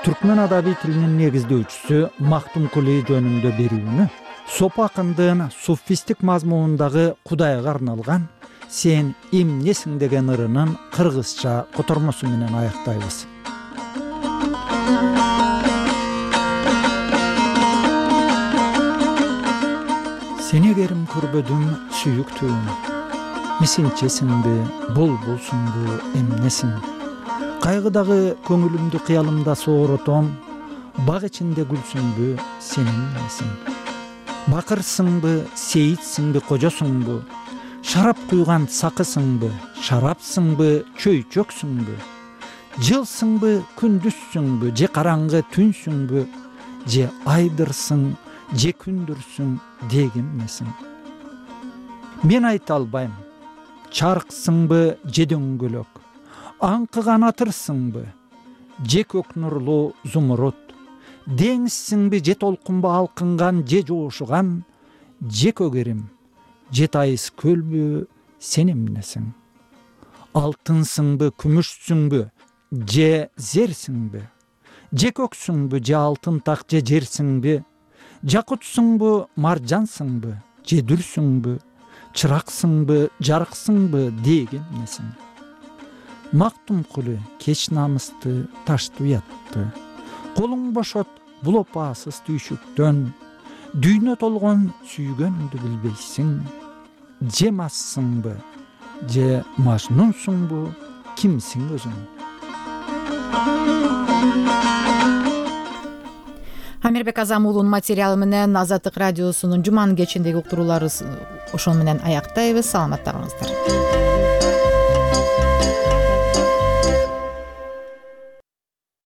Түркмөн адабий тилинин негиздөөчүсү Мактумкули жөнүндө берүүнү сопу акындын суфистик мазмунундагы Кудайга арналган «Сен эмнесиң» деген ырынын кыргызча котормосу менен аяктайбыз. Сени керим көрбөдүм сүйүктүүм, мисинчесиңби, болбулсуңбу, эмнесиң? Кайгыдагы көңүлүмдү кыялымда сооротом, бак ичинде гүлсүңбү, сен эмнесиң? Бакырсыңбы, сейитсиңби, кожосуңбу? Шарап куйган сакысыңбы, шарапсыңбы, чөйчөксүңбү? Жылсыңбы, күндүзсүңбү, же караңгы түнсүңбү? Же айдырсың, же күндүрсүң, дегиммесиң? Мен айта албайм. Чарксыңбы, же дөңгөлөк? аңкыган атырсыңбы же көк нурлуу зумруд, деңизсиңби же толкунбу алкынган же жоошуган, же көгерим же тайыз көлбү сен эмнесиң? Алтынсыңбы күмүшсүңбү же зерсиңби, же көксүңбү же алтын так же жерсиңби, жакутсуңбу маржансыңбы же дүрсүңбү, чыраксыңбы жарыксыңбы деген эмнесиң? Мактум кулу кеч намысты ташты уятты, колуң бошот бул опасыз түйшүктөн, дүйнө толгон сүйгөнүңдү билбейсиң, же массыңбы же мажнунсуңбу, кимсиң өзүң? Амирбек Азам уулунун материалы менен Азаттык радиосунун жуманын кечиндеги уктуруулары ошону менен аяктайбыз. Саламатта калыңыздар.